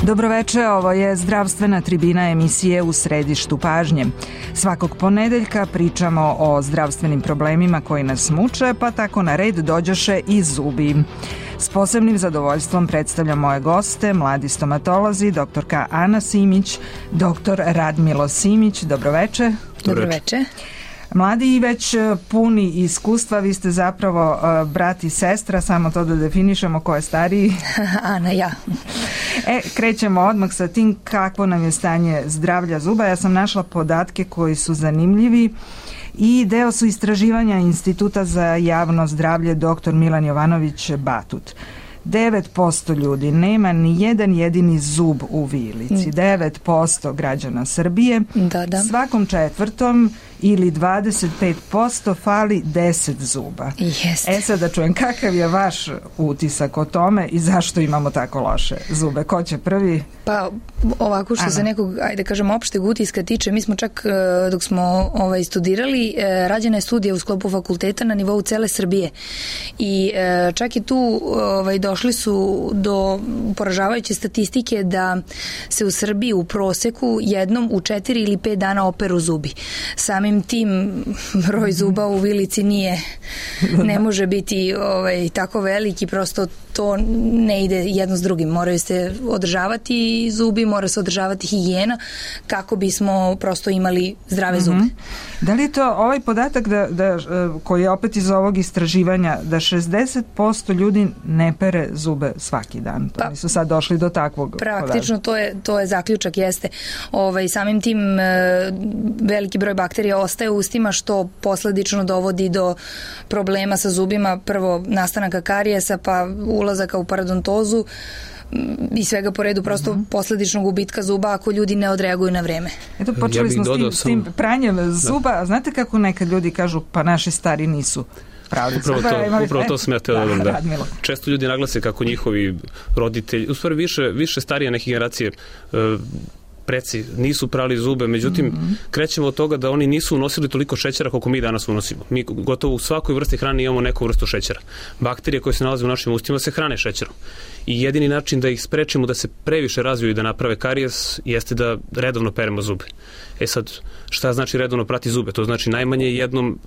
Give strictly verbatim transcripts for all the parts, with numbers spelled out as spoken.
Dobroveče, ovo je zdravstvena tribina emisije U središtu pažnje. Svakog ponedeljka pričamo o zdravstvenim problemima koji nas muče, pa tako na red dođoše i zubi. S posebnim zadovoljstvom predstavljam moje goste, mladi stomatolozi, doktorka Ana Simić, doktor Radmilo Simić. Dobroveče. Dobroveče. Mladi i već puni iskustva, vi ste zapravo uh, brat i sestra, samo to da definišemo ko je stariji. Ana, ja. E, krećemo odmah sa tim kakvo nam je stanje zdravlja zuba. Ja sam našla podatke koji su zanimljivi i deo su istraživanja Instituta za javno zdravlje doktor Milan Jovanović Batut. devet posto ljudi nema ni jedan jedini zub u vilici. devet posto građana Srbije. Da, da. Svakom četvrtom ili dvadeset pet posto fali deset zuba. Jeste. E sad da čujem, kakav je vaš utisak o tome i zašto imamo tako loše zube? Ko će prvi? Pa ovako što Ana. Se nekog, ajde kažem, opšteg utiska tiče, mi smo čak dok smo ovaj, studirali, rađena je studija u sklopu fakulteta na nivou cele Srbije i čak i tu ovaj, došli su do poražavajuće statistike da se u Srbiji u proseku jednom u četiri ili pet dana operu zubi. Samim tim broj zuba u vilici nije, ne može biti ovaj, tako veliki, prosto to ne ide jedno s drugim. Moraju se održavati zubi, mora se održavati higijena kako bismo prosto imali zdrave zube. Mm-hmm. Da li je to ovaj podatak da, da, koji je opet iz ovog istraživanja da šezdeset posto ljudi ne pere zube svaki dan? To pa, su sad došli do takvog praktično to je, to je zaključak, jeste. Ovaj, samim tim veliki broj bakterija ostaje u ustima što posledično dovodi do problema sa zubima, prvo nastanaka karijesa, pa ulazaka u parodontozu i svega po redu, prosto mm-hmm. posledičnog gubitka zuba ako ljudi ne odreaguju na vreme. Eto, počeli ja smo s tim, sam... s tim pranjem zuba, a znate kako nekad ljudi kažu pa naši stari nisu pravi. Upravo to, imali... upravo to sam ja teo da, da, da. Često ljudi naglase kako njihovi roditelji, u stvari više, više starije neke generacije uh, preci nisu prali zube, međutim mm-hmm. krećemo od toga da oni nisu unosili toliko šećera koliko mi danas unosimo. Mi gotovo u svakoj vrsti hrane imamo neku vrstu šećera. Bakterije koje se nalaze u našim ustima se hrane šećerom. I jedini način da ih sprečimo da se previše razviju i da naprave karijes jeste da redovno peremo zube. E sad, šta znači redovno prati zube? To znači najmanje jednom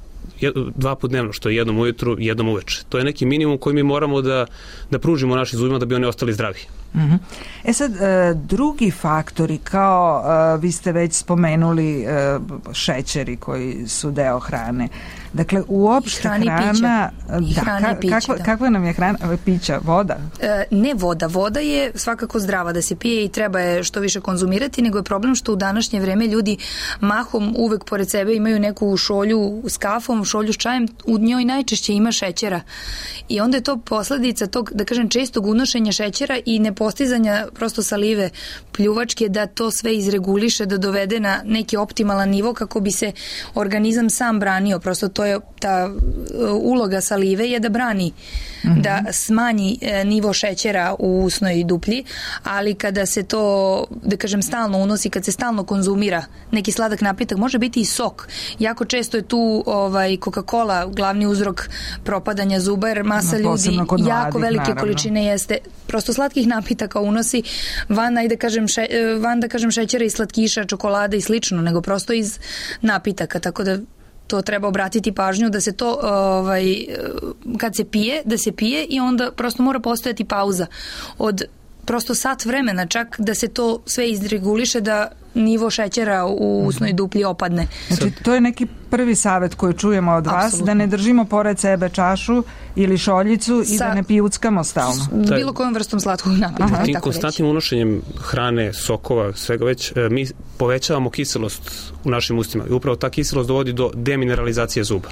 dva put dnevno, što je jednom ujutru, jednom uveče. To je neki minimum koji mi moramo da, da pružimo našim zubima da bi oni ostali zdravi. Mm-hmm. E sad, drugi faktori, kao vi ste već spomenuli šećeri koji su deo hrane. Dakle, uopšte hrana... I hrana i pića. Kakva, kakva nam je hrana? Pića? Voda? E, ne voda. Voda je svakako zdrava da se pije i treba je što više konzumirati, nego je problem što u današnje vreme ljudi mahom uvek pored sebe imaju neku šolju s kafom, šolju s čajem, u njoj najčešće ima šećera. I onda je to posledica tog, da kažem, čestog unošenja šećera i nepostizanja prosto salive pljuvačke da to sve izreguliše, da dovede na neki optimalan nivo kako bi se organizam sam branio. Prosto to je ta uloga salive je da brani, mm-hmm. da smanji nivo šećera u usnoj duplji, ali kada se to, da kažem, stalno unosi, kad se stalno konzumira neki sladak napitak, može biti i sok. Jako često je tu ovaj, Coca-Cola glavni uzrok propadanja zuba, jer masa no, ljudi jako velike naravno. Količine jeste prosto slatkih napitaka unosi van, ajde kažem, še, van da kažem šećera i slatkiša, čokolada i slično, nego prosto iz napitaka, tako da to treba obratiti pažnju da se to ovaj, kad se pije, da se pije i onda prosto mora postojati pauza od prosto sat vremena čak da se to sve izreguliše, da nivo šećera u usnoj duplji opadne. Znači, to je neki prvi savjet koji čujemo od vas, Absolutno. Da ne držimo pored sebe čašu ili šoljicu i Sa, da ne pijuckamo stalno. Bilo kojom vrstom slatkog napitka. Tim konstantnim unošenjem hrane, sokova, svega već, mi povećavamo kiselost u našim ustima i upravo ta kiselost dovodi do demineralizacije zuba.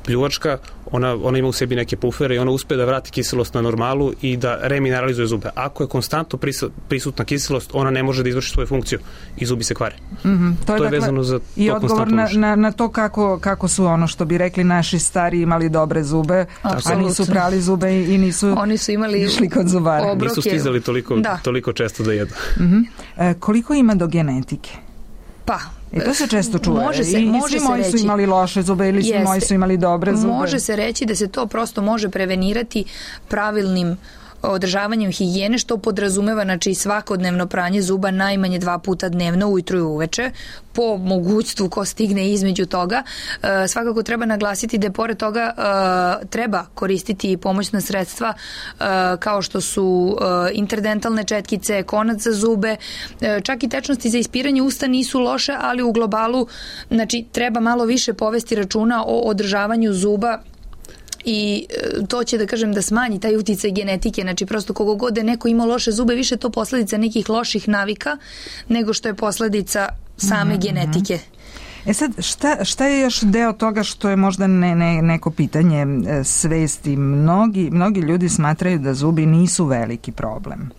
Pljuvačka, ona, ona ima u sebi neke pufere i ona uspe da vrati kiselost na normalu i da remineralizuje zube. Ako je konstantno prisutna kiselost, ona ne može da izvrši svoju funkciju i zubi se kvare. Mm-hmm. To je, to je dakle, vezano za i to odgovor na, na, na to kako, kako su ono što bi rekli naši stari imali dobre zube, Absolutno. A nisu prali zube i nisu Oni su imali išli kod zubara. Obroke. Nisu stizali toliko, toliko često da jedu. Mm-hmm. E, koliko ima do genetike? Pa, I to se često čuje. Može se, I može svi moji reći, su imali loše zube ili svi moji su imali dobre zube. Može se reći da se to prosto može prevenirati pravilnim održavanjem higijene, što podrazumeva znači svakodnevno pranje zuba najmanje dva puta dnevno, ujutru i uveče, po mogućstvu ko stigne između toga. E, svakako treba naglasiti da je pored toga e, treba koristiti pomoćna sredstva e, kao što su e, interdentalne četkice, konac za zube, e, čak i tečnosti za ispiranje usta nisu loše, ali u globalu znači treba malo više povesti računa o održavanju zuba i to će da kažem da smanji taj uticaj genetike, znači prosto kogo god je neko imao loše zube, više to posledica nekih loših navika nego što je posledica same mm-hmm. genetike. E sad, šta, šta je još deo toga što je možda ne, ne, neko pitanje svesti? Mnogi, mnogi ljudi smatraju da zubi nisu veliki problem.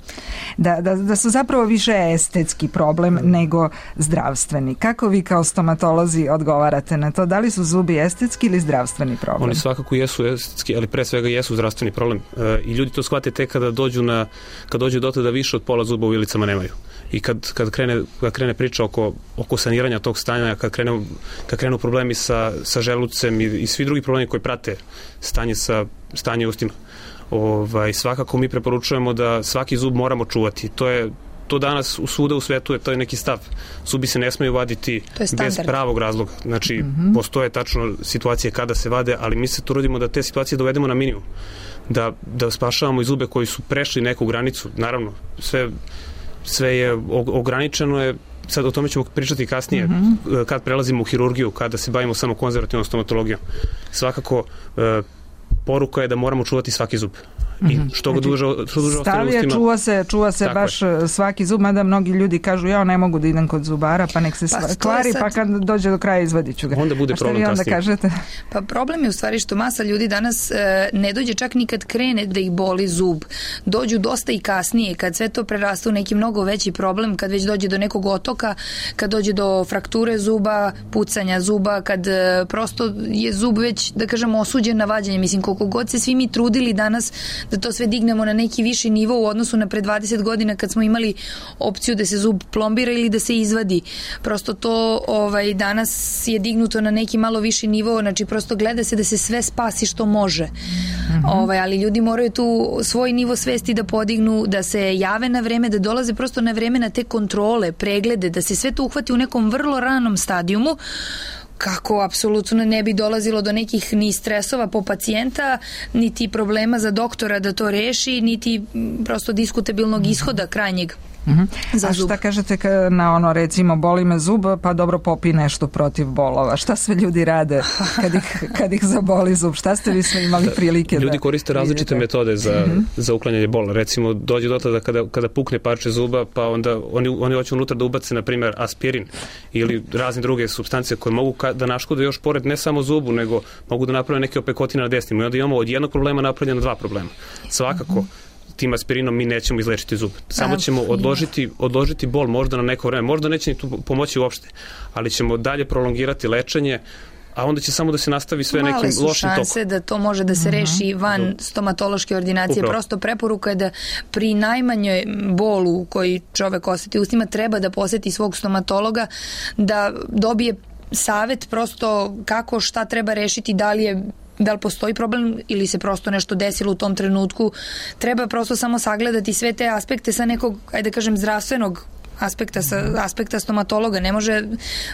Da, da, da su zapravo više estetski problem nego zdravstveni. Kako vi kao stomatolozi odgovarate na to? Da li su zubi estetski ili zdravstveni problem? Oni svakako jesu estetski, ali pre svega jesu zdravstveni problem. E, I ljudi to shvate tek kada dođu, na, kad dođu do tada više od pola zuba u ilicama nemaju. I kad, kad, krene, kad krene priča oko, oko saniranja tog stanja, kad krenu, kad krenu problemi sa, sa želucem i, i svi drugi problemi koji prate stanje, sa, stanje ustima, ovaj, svakako mi preporučujemo da svaki zub moramo čuvati. To je to danas u svuda u svetu je to je neki stav. Zubi se ne smeju vaditi bez pravog razloga. Znači, mm-hmm. postoje tačno situacije kada se vade, ali mi se trudimo da te situacije dovedemo na minimum. Da, da spašavamo i zube koji su prešli neku granicu. Naravno, sve sve je ograničeno je, sad o tome ćemo pričati kasnije, mm-hmm. kad prelazimo u hirurgiju, kada se bavimo samo konzervativnom stomatologijom. Svakako, e, poruka je da moramo čuvati svaki zub. I što ga duže, što duže ostane ustima. Čuva se, čuva se baš je. Svaki zub, mada mnogi ljudi kažu ja ne mogu da idem kod zubara, pa nek se pa, kvari, sad... pa kad dođe do kraja izvadit ću ga. Onda bude problem kasnije. A šta vi onda kažete? Pa problem je u stvari što masa ljudi danas e, ne dođe čak ni kad krene da ih boli zub. Dođu dosta i kasnije, kad sve to preraste u neki mnogo veći problem, kad već dođe do nekog otoka, kad dođe do frakture zuba, pucanja zuba, kad e, prosto je zub već, da kažemo, osuđen na vađenje. Mislim, koliko god se svi mi trudili danas da to sve dignemo na neki viši nivo u odnosu na pre dvadeset godina kad smo imali opciju da se zub plombira ili da se izvadi. Prosto to ovaj, danas je dignuto na neki malo viši nivo, znači prosto gleda se da se sve spasi što može. Mm-hmm. Ovaj, ali ljudi moraju tu svoj nivo svesti da podignu, da se jave na vreme, da dolaze prosto na vreme na te kontrole, preglede, da se sve to uhvati u nekom vrlo ranom stadijumu, kako apsolutno ne bi dolazilo do nekih ni stresova po pacijenta, niti problema za doktora da to reši, niti prosto diskutabilnog ishoda krajnjeg. Uh-huh. A šta kažete na ono, recimo, boli me zub, pa dobro popi nešto protiv bolova. Šta sve ljudi rade kad ih, kad ih zaboli zub? Šta ste vi sve imali prilike da... Ljudi koriste različite metode za, uh-huh. za uklanjanje bola. Recimo, dođe do tada kada, kada pukne parče zuba, pa onda oni, oni hoće unutra da ubace, na primjer, aspirin ili razne druge supstance koje mogu ka, da naškode još pored ne samo zubu, nego mogu da naprave neke opekotine na desnim. I onda imamo od jednog problema napravljeno dva problema. Svakako, uh-huh. tim aspirinom mi nećemo izlečiti zub. Samo ćemo odložiti, odložiti bol možda na neko vreme. Možda neće ni tu pomoći uopšte, ali ćemo dalje prolongirati lečenje, a onda će samo da se nastavi sve nekim lošim tokom. Male su šanse da to može da se reši van stomatološke ordinacije. Upravo. Prosto preporuka je da pri najmanjoj bolu koji čovek osjeti ustima treba da poseti svog stomatologa, da dobije savet prosto kako, šta treba rešiti, da li je da li postoji problem ili se prosto nešto desilo u tom trenutku. Treba prosto samo sagledati sve te aspekte sa nekog, ajde da kažem, zdravstvenog aspekta, sa aspekta stomatologa. Ne može,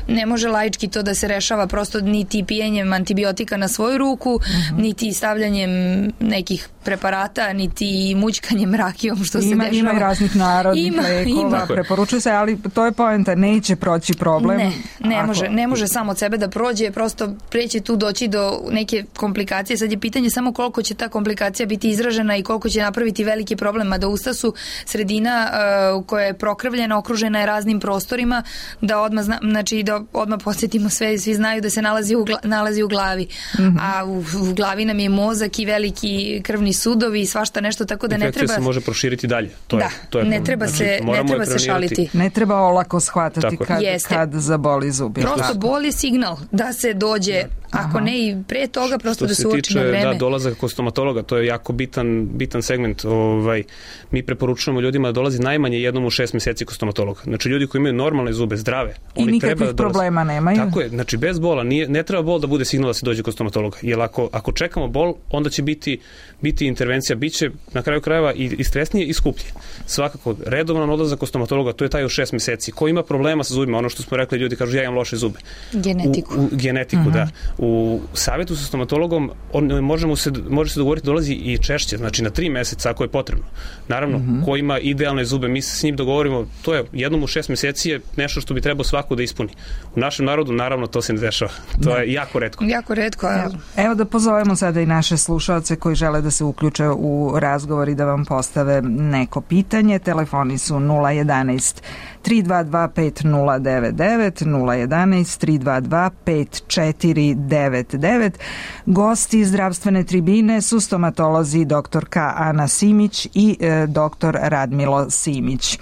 ne može laički to da se rešava prosto niti pijenjem antibiotika na svoju ruku, uh-huh. niti stavljanjem nekih preparata, niti mućkanjem rakijom, što ima, se dešava. Ima i raznih narodnih ima, lekova, ima. Preporučuje se, ali to je poenta, neće proći problem. Ne, ne, ako... može, ne može samo od sebe da prođe, prosto preće tu doći do neke komplikacije. Sad je pitanje samo koliko će ta komplikacija biti izražena i koliko će napraviti veliki problem, a da usta su sredina uh, koja je prokrvljena, okružena je raznim prostorima, da odmah, zna, znači, da odmah posjetimo sve, svi znaju da se nalazi u, gla, nalazi u glavi. Mm-hmm. A u, u glavi nam je mozak i veliki krvni sudovi i svašta nešto, tako da infekcija ne treba... se može proširiti dalje. To da, je, to je ne treba znači, se, ne treba se šaliti. Ne treba olako shvatati kad, kad zaboli zub. Prosto bol je signal da se dođe, Ako Aha. ne i pre toga, prosto što da se uoči na vreme. Što se tiče, da, dolazak kod stomatologa, to je jako bitan, bitan segment. Ovaj, mi preporučujemo ljudima da dolazi najmanje jednom u šest meseci kod stomatologa. Znači, ljudi koji imaju normalne zube, zdrave, I oni treba da nikakvih problema nemaju. Tako je, znači bez bola, nije, ne treba bol da bude signal da se dođe kod stomatologa. Jer ako, ako čekamo bol, onda će biti, biti intervencija, bit će na kraju krajeva i, i stresnije i skuplje. Svakako, redovan odlazak kod stomatologa, to je taj u šest meseci. Ko ima problema sa zubima, ono što smo rekli, ljudi kažu ja imam loše zube. Genetiku. U, u genetiku, uh-huh. da. U savjetu sa stomatologom on, možemo se, može se dogovoriti dolazi i češće, znači na tri meseca ako je potrebno. Naravno, uh-huh. ko ima idealne zube, mi se s njim dogovorimo, to je jednom u šest meseci je nešto što bi trebao svako da ispuni. U našem narodu, naravno, to se ne dešava. To je jako retko. Jako retko, evo. Evo da pozovemo sada i naše slušaoce koji žele da se uključe u razgovor i da vam postave neko pitanje. Telefoni su nula jedanaest tri dva dva pet nula devet devet, nula jedanaest tri dva dva pet četiri devet devet. Gosti zdravstvene tribine su stomatolozi doktorka Ana Simić i e, doktor Radmilo Simić.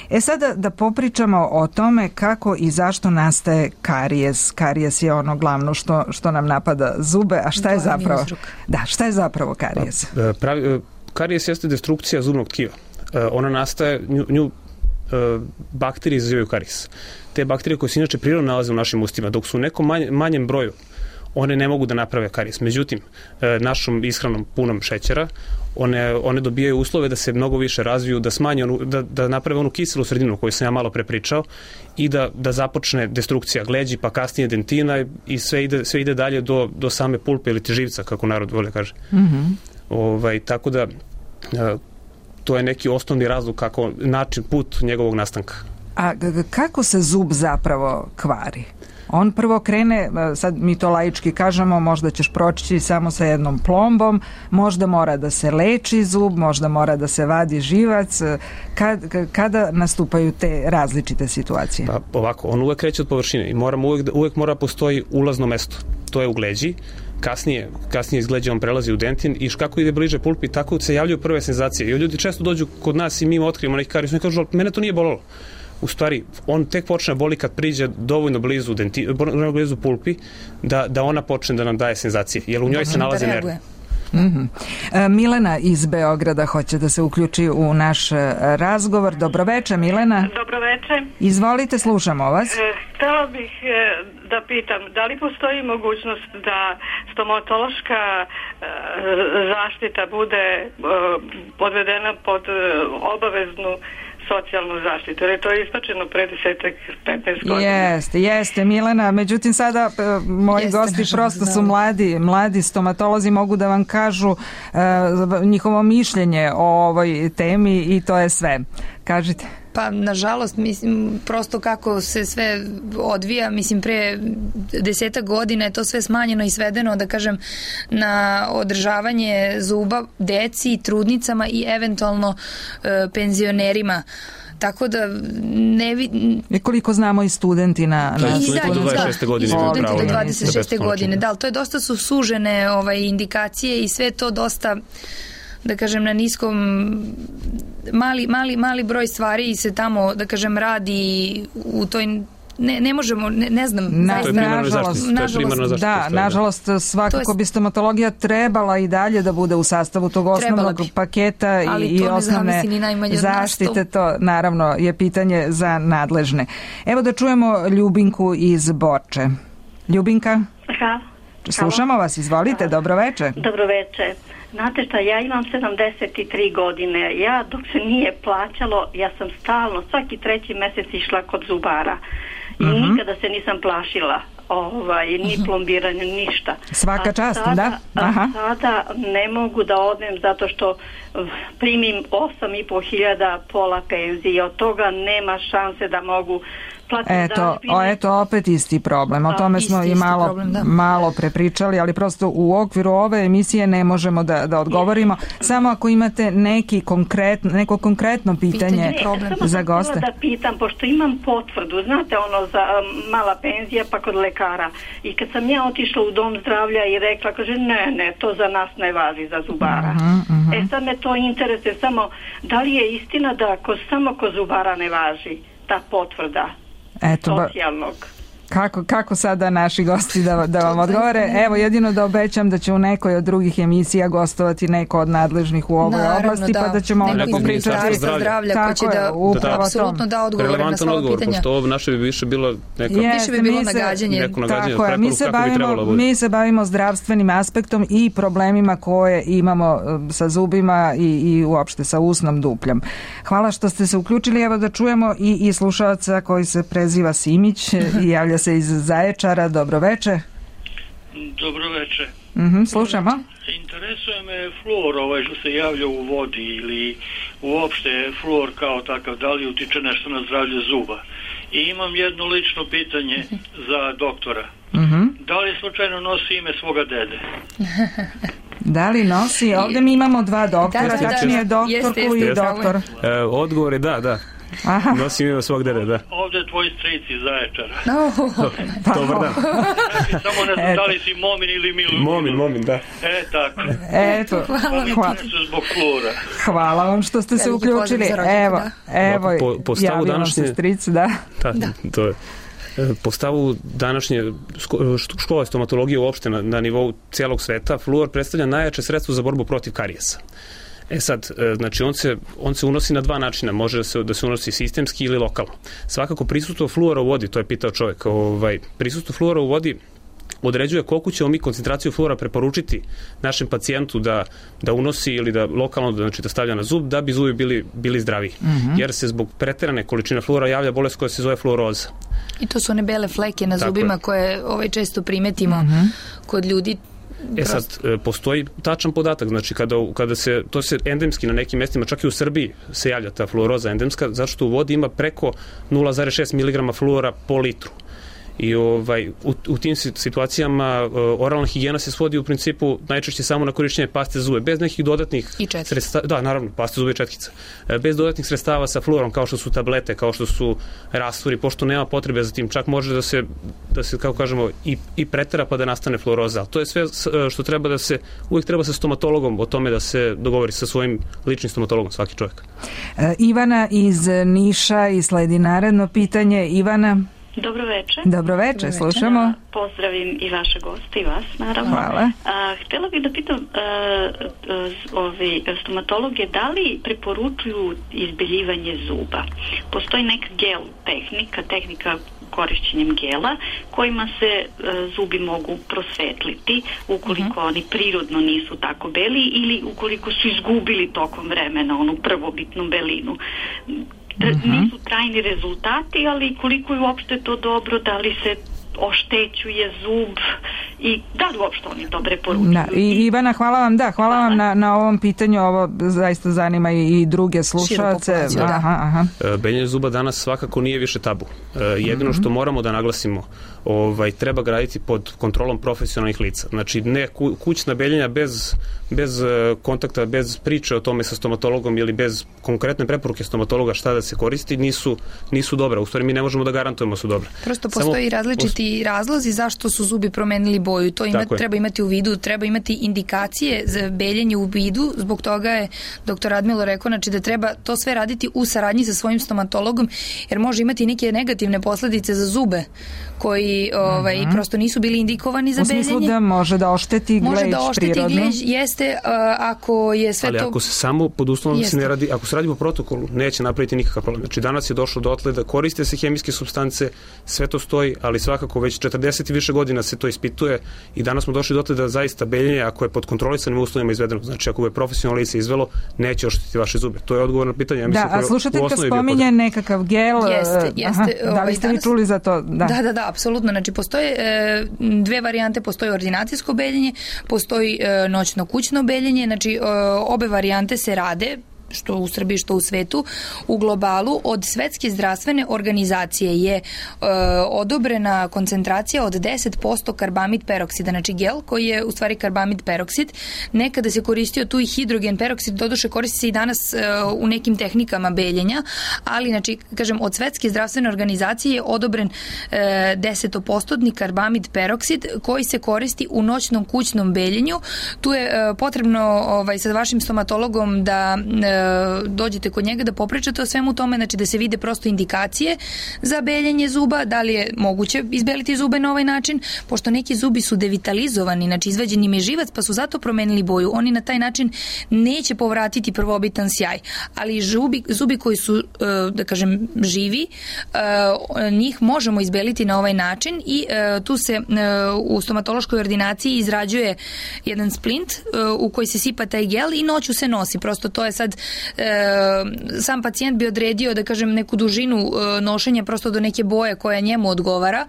E sada da popričamo o tome kako i zašto nastaje karijes. Karijes je ono glavno što, što nam napada zube, a šta je zapravo? Da, šta je zapravo karijes? Pravi, karijes jeste destrukcija zubnog tkiva. Ona nastaje, nju, nju bakterije izazivaju karijes. Te bakterije koje se inače prirodno nalaze u našim ustima, dok su u nekom manje, manjem broju, one ne mogu da naprave karijes. Međutim, našom ishranom punom šećera, one, one dobijaju uslove da se mnogo više razviju, da smanje onu, da, da naprave onu kiselu sredinu koju sam ja malo prepričao i da, da započne destrukcija gleđi, pa kasnije dentina i sve ide, sve ide dalje do, do same pulpe ili živca, kako narod voli kaže. Mm-hmm. Ovaj, tako da to je neki osnovni razlog kako način, put njegovog nastanka. A kako se zub zapravo kvari? On prvo krene, sad mi to laički kažemo, možda ćeš proći samo sa jednom plombom, možda mora da se leči zub, možda mora da se vadi živac. Kad, kada nastupaju te različite situacije? Pa ovako, on uvek kreće od površine i moramo uvek, uvek mora postoji ulazno mesto. To je u gleđi. Kasnije, kasnije iz gleđa on prelazi u dentin i kako ide bliže pulpi, tako se javljaju prve senzacije. I ljudi često dođu kod nas i mi im otkrijemo neki karijus i kažu, mene to nije bolelo. U stvari, on tek počne boli kad priđe dovoljno blizu, denti, blizu pulpi da, da ona počne da nam daje senzacije, jer u njoj se nalaze nervi. Mm-hmm. E, Milena iz Beograda hoće da se uključi u naš razgovor. Dobroveče, Milena. Dobroveče. Izvolite, slušamo vas. E, htela bih e, da pitam, da li postoji mogućnost da stomatološka e, zaštita bude e, podvedena pod e, obaveznu socijalnu zaštitu, jer je to ispačeno pre desetak, petnaest godina. Jeste, jeste, Milena, međutim sada uh, moji jeste, gosti prosto su mladi, mladi stomatolozi, mogu da vam kažu uh, njihovo mišljenje o ovoj temi i to je sve. Kažite. Pa, nažalost, mislim, prosto kako se sve odvija, mislim, pre desetak godina je to sve smanjeno i svedeno, da kažem, na održavanje zuba deci, trudnicama i eventualno e, penzionerima. Tako da ne vi... I koliko znamo i studenti na... Da, na... studenti do dvadeset šeste godine. Studenti do dvadeset šeste godine, da, ali to je dosta su sužene ovaj, indikacije i sve to dosta, da kažem, na niskom mali, mali, mali broj stvari se tamo, da kažem, radi u toj ne, ne možemo, ne, ne znam na, zaista, nažalost, nažalost da, nažalost svakako je, bi stomatologija trebala i dalje da bude u sastavu tog osnovnog paketa i, i osnovne zaštite, to naravno je pitanje za nadležne. Evo da čujemo Ljubinku iz Borče. Ljubinka? Aha. Slušamo vas, izvolite, dobroveče. Dobroveče. Znate šta, ja imam sedamdeset tri godine. Ja dok se nije plaćalo, ja sam stalno, svaki treći mesec išla kod zubara. I uh-huh. nikada se nisam plašila. Ovaj, ni plombiranje, ništa. Svaka a čast, sada, da? Aha. A sada ne mogu da odem zato što primim osam i po hiljada pola penzije. Od toga nema šanse da mogu Eto, o, eto opet isti problem. O tome smo i malo, problem, malo prepričali, ali prosto u okviru ove emisije ne možemo da, da odgovorimo. Samo ako imate neki konkretno, neko konkretno pitanje, pitanje problem. Ne, za goste. Da pitam, pošto imam potvrdu, znate ono za um, mala penzija pa kod lekara. I kad sam ja otišla u dom zdravlja i rekla, kaže ne, ne, to za nas ne važi za zubara. Uh-huh, uh-huh. E sad me to interesuje samo, da li je istina da ko, samo kod zubara ne važi ta potvrda? Eto, socijalnog. Kako, kako sada naši gosti da, da vam odgovore? Evo, jedino da obećam da će u nekoj od drugih emisija gostovati neko od nadležnih u ovoj Naravno, oblasti, da. pa da ćemo onda Neko popričati. zdravlja, tako ko će je, da, upravo da apsolutno da odgovore na sva odgovor, pitanja. Pošto ovo naše bi više bilo neka... Jeste, više bi bilo mi se, nagađanje. Neko nagađanje, tako je, mi se, bavimo, mi se bavimo zdravstvenim aspektom i problemima koje imamo sa zubima i, i uopšte sa usnom dupljom. Hvala što ste se uključili. Evo da čujemo i, i slušalca koji se preziva Simić i javlja se iz Zaječara. Dobro veče. Dobro veče. Mhm, slušamo. Interesuje me fluor ovaj što se javlja u vodi ili uopšte fluor kao takav, da li utiče nešto na zdravlje zuba. I imam jedno lično pitanje za doktora. Mhm. Da li slučajno nosi ime svoga dede? Da li nosi? Ovdje mi imamo dva doktora, Da, da, da, tačnije da. doktorku Jeste, jeste, i doktor. E, odgovor je da, da. Aha. Nosim ime svog dede, da. Ovdje je tvoj stric iz Zaječara. No. Dobar dan. Znači, samo ne znam da li si Momin ili Milu. Momin, Momin, da. E, tako. Eto, Hvala. hvala. Zbog fluora. Hvala vam što ste se Veliki pozdrav uključili. za rođendan, Evo, evo, Po- po stavu javio nam se današnje- stric, da. Da, to je. E, Po stavu današnje sko- št- škole stomatologije uopšte na, na nivou cijelog sveta, fluor predstavlja najjače sredstvo za borbu protiv karijesa. E sad, e, znači on se, on se unosi na dva načina, može da se, da se unosi sistemski ili lokalno. Svakako prisustvo fluora u vodi, to je pitao čovjek, ovaj, prisustvo fluora u vodi određuje koliko ćemo mi koncentraciju fluora preporučiti našem pacijentu da, da unosi ili da lokalno da, znači, da stavlja na zub da bi zubi bili, bili zdraviji. Mm-hmm. Jer se zbog preterane količine fluora javlja bolest koja se zove fluoroza. I to su one bele fleke na Tako zubima je. koje ovaj, često primetimo Mm-hmm. kod ljudi. E sad, e, postoji tačan podatak, znači kada, kada se, to se endemski na nekim mjestima, čak i u Srbiji se javlja ta fluoroza endemska, zato što u vodi ima preko nula zarez šest miligrama fluora po litru. I ovaj, u, u tim situacijama uh, oralna higijena se svodi u principu najčešće samo na korišćenje paste za zube, bez nekih dodatnih sredstava, da, naravno, paste za zube i četkica, e, bez dodatnih sredstava sa fluorom, kao što su tablete, kao što su rastvori, pošto nema potrebe za tim, čak može da se, da se kako kažemo, i, i pretera pa da nastane fluoroza. To je sve što treba da se, uvijek treba sa stomatologom o tome da se dogovori sa svojim ličnim stomatologom, svaki čovjek. E, Ivana iz Niša i sledi naredno pitanje. Ivana. Dobro veče. Dobro veče, slušamo. Pozdravim i vaše goste i vas, naravno. Hvala. A, htjela bih da pitam a, a, ovi stomatologe da li preporučuju izbeljivanje zuba. Postoji neka gel tehnika, tehnika korišćenjem gela, kojima se a, zubi mogu prosvetliti ukoliko uh-huh. oni prirodno nisu tako beli ili ukoliko su izgubili tokom vremena onu prvobitnu belinu. Uh-huh. Nisu trajni rezultati, ali koliko je uopšte to dobro, da li se oštećuje zub i da li uopšte oni to preporučuju. Da, i Ivana, hvala vam, da, hvala vam na, na ovom pitanju, ovo zaista zanima i, i druge slušalce. Aha, aha. Beljenje zuba danas svakako nije više tabu. Jedino mm-hmm. što moramo da naglasimo, ovaj, treba ga raditi pod kontrolom profesionalnih lica. Znači, ne ku, kućna beljenja bez, bez kontakta, bez priče o tome sa stomatologom ili bez konkretne preporuke stomatologa šta da se koristi, nisu, nisu dobra. U stvari, mi ne možemo da garantujemo su dobra. Prosto postoji Samo, različiti razlozi zašto su zubi promenili boju. To ima, treba imati u vidu, treba imati indikacije za beljenje u vidu. Zbog toga je doktor Radmilo rekao, znači da treba to sve raditi u saradnji sa svojim stomatologom, jer može imati neke negativne posledice za zube koji ovaj, uh-huh. prosto nisu bili indikovani za beljenje. U smislu da može da ošteti glež može da ošteti prirodno. Glež, jeste uh, ako je sve Ali to... ako se samo pod uslovom da se ne radi, ako se radi po protokolu, neće napraviti nikakav problem. Znači danas je došlo dotle da koriste se hemijske supstance, sve to stoji, ali svakako već četrdeset i više godina se to ispituje i danas smo došli dotle da zaista beljenje, ako je pod kontrolisanim uslovima izvedeno, znači ako je profesionalno lice izvelo, neće ošteti vaše zube. To je odgovor na pitanje. Ja mislim, da, a slušateljka spominje nekakav gel. Jeste, jeste. Aha, da li ste vi čuli za to? Da, da, da, da apsolutno. Znači, postoje e, dve varijante, postoji ordinacijsko beljenje, postoji e, noćno kućno beljenje, znači e, obe varijante se rade, što u Srbiji, što u svetu, u globalu. Od Svetske zdravstvene organizacije je e, odobrena koncentracija od deset posto karbamid peroksida, znači gel koji je u stvari karbamid peroksid. Nekada se koristio tu i hidrogen peroksid, doduše koristi se i danas e, u nekim tehnikama beljenja, ali znači, kažem, od Svetske zdravstvene organizacije je odobren e, deset posto karbamid peroksid koji se koristi u noćnom kućnom beljenju. Tu je e, potrebno ovaj, sa vašim stomatologom da e, dođete kod njega da popričate o svemu tome, znači da se vide prosto indikacije za beljenje zuba, da li je moguće izbeliti zube na ovaj način, pošto neki zubi su devitalizovani, znači izvađen im je živac, pa su zato promenili boju. Oni na taj način neće povratiti prvobitan sjaj, ali zubi, zubi koji su, da kažem, živi, njih možemo izbeliti na ovaj način i tu se u stomatološkoj ordinaciji izrađuje jedan splint u koji se sipa taj gel i noću se nosi. Prosto to je sad, sam pacijent bi odredio, da kažem, neku dužinu nošenja prosto do neke boje koja njemu odgovara,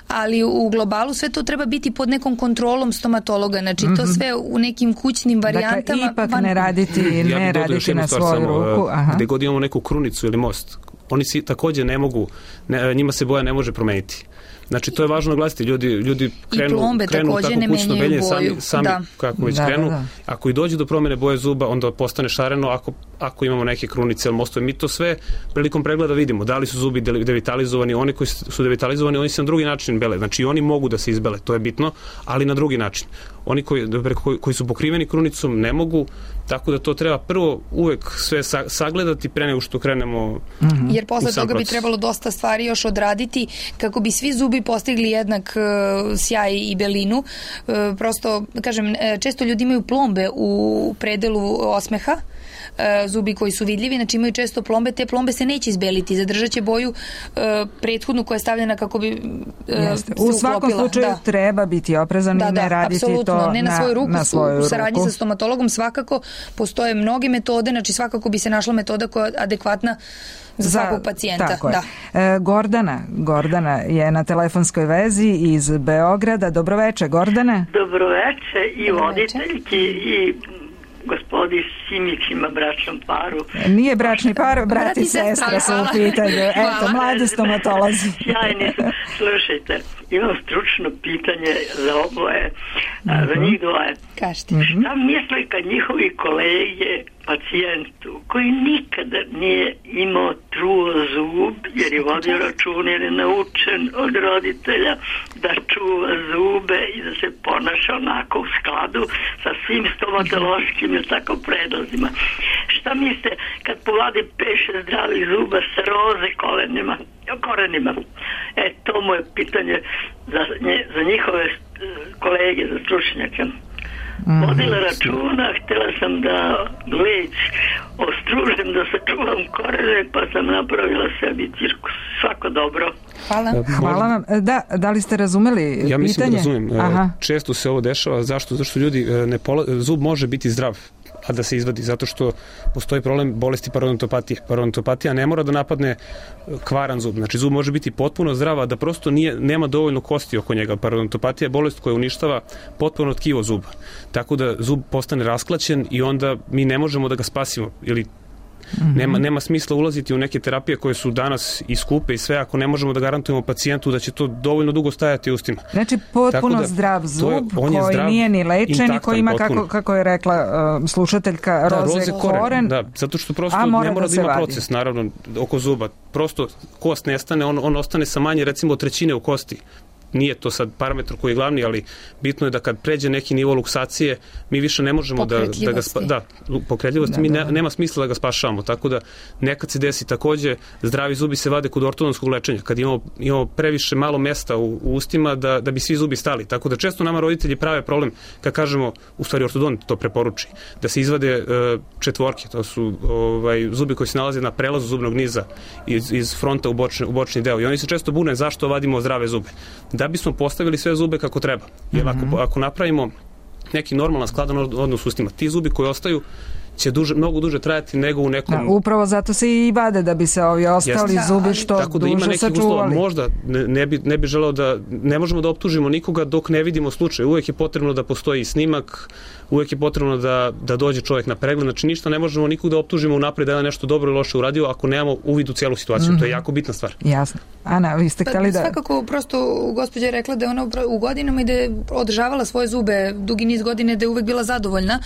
ali u globalu sve to treba biti pod nekom kontrolom stomatologa, znači to sve u nekim kućnim varijantama. Dakle, ipak van... ne raditi, ne ja raditi na svoju samo, ruku. Aha. Gde god imamo neku krunicu ili most, oni si takođe ne mogu, ne, njima se boja ne može promeniti. Znači, to je važno naglasiti. Ljudi, ljudi krenu, krenu tako kućno beljenje sami, sami da. kako već da, krenu. Da, da. Ako i dođe do promene boje zuba, onda postane šareno ako, ako imamo neke krunice ili mostove. Mi to sve prilikom pregleda vidimo. Da li su zubi devitalizovani, oni koji su devitalizovani, oni se na drugi način bele. Znači, oni mogu da se izbele, to je bitno, ali na drugi način. Oni koji, koji, koji su pokriveni krunicom ne mogu, tako da to treba prvo uvek sve sagledati pre nego što krenemo mm-hmm. Jer posle toga proces. Bi trebalo dosta stvari još odraditi kako bi svi zubi postigli jednak uh, sjaj i belinu. Uh, prosto, kažem, često ljudi imaju plombe u predelu osmeha, uh, zubi koji su vidljivi, znači imaju često plombe, te plombe se neće izbeliti, zadržat će boju uh, prethodnu koja je stavljena kako bi uh, se u svakom uklopila. slučaju da. treba biti oprezan da, i ne da, raditi apsolutno. to ne na, na svoju ruku, na svoju u saradnji ruku. sa stomatologom svakako postoje mnoge metode, znači svakako bi se našla metoda koja je adekvatna za, za svakog pacijenta. Tako da. je. E, Gordana, Gordana je na telefonskoj vezi iz Beograda. Dobroveče, Gordane. Dobroveče i voditeljki i gospodi Simićima, bračnom paru. Nije bračni par, brat i sestra su u pitanju. Eto, mladi stomatolozi. Sjajni su. Slušajte, imam stručno pitanje za oboje, mm-hmm. za njih dvoje. Kažete. Šta misle kad njihovi kolege pacijentu koji nikada nije imao truo zub jer je vodio račun jer je naučen od roditelja da čuva zube i da se ponaša onako u skladu sa svim stomatološkim i tako predlazima. Šta mislite kad povade peše zdravih zuba sa roze kolenima, korenima? E, to mu je pitanje za, nje, za njihove kolege, za stručnjake. Vodila računa, htjela sam da leć ostružem, da sačuvam korene, pa sam napravila sebi cirkus. Svako dobro. Hvala. Hvala vam. Da, da li ste razumeli pitanje? Ja mislim da razumijem. Aha. Često se ovo dešava. Zašto? Zašto ljudi ne pola... zub može biti zdrav, a da se izvadi, zato što postoji problem bolesti parodontopatije. Parodontopatija ne mora da napadne kvaran zub. Znači, zub može biti potpuno zdrav, a da prosto nije, nema dovoljno kosti oko njega. Parodontopatija je bolest koja uništava potpuno tkivo zuba. Tako da zub postane rasklaćen i onda mi ne možemo da ga spasimo ili Mm-hmm. Nema, nema smisla ulaziti u neke terapije koje su danas i skupe i sve ako ne možemo da garantujemo pacijentu da će to dovoljno dugo stajati u ustima. Znači potpuno da, zdrav zub je, koji zdrav, nije ni lečen i koji ima, kako, kako je rekla uh, slušateljka, da, roze, roze koren. koren. Da, zato što prosto mora ne mora da, da ima vadi. Proces naravno oko zuba. Prosto kost nestane, on, on ostane sa manje recimo trećine u kosti. Nije to sad parametar koji je glavni, ali bitno je da kad pređe neki nivo luksacije, mi više ne možemo da, da ga spa, da, pokretljivosti, da, mi ne, nema smisla da ga spašavamo, tako da nekad se desi takođe, zdravi zubi se vade kod ortodontskog lečenja, kad imamo, imamo previše malo mesta u, u ustima da, da bi svi zubi stali, tako da često nama roditelji prave problem kad kažemo, u stvari ortodont to preporuči, da se izvade uh, četvorke, to su ovaj, zubi koji se nalaze na prelazu zubnog niza iz, iz fronta u bočni, u bočni deo i oni se često bune zašto vadimo zdrave zube. Da bismo postavili sve zube kako treba. Jer ako, ako napravimo neki normalan skladan odnos s ustima, ti zubi koji ostaju će duže, mnogo duže trajati nego u nekom... Da, upravo zato se i vade da bi se ovi ostali Jeste. zubi što Tako da duže sačuvali. Možda ne, ne, bi, ne bi želeo da... Ne možemo da optužimo nikoga dok ne vidimo slučaj. Uvijek je potrebno da postoji snimak, uvijek je potrebno da, da dođe čovjek na pregled. Znači ništa ne možemo nikog da optužimo unaprijed da je nešto dobro ili loše uradio ako nemamo uvid u cijelu situaciju. Mm-hmm. To je jako bitna stvar. Jasno. Ana, vi ste htjeli da... Svakako, prosto gospođa je rekla da je ona u godinama i da je održavala svoje zube dugi niz godine, da je uvek bila zadovoljna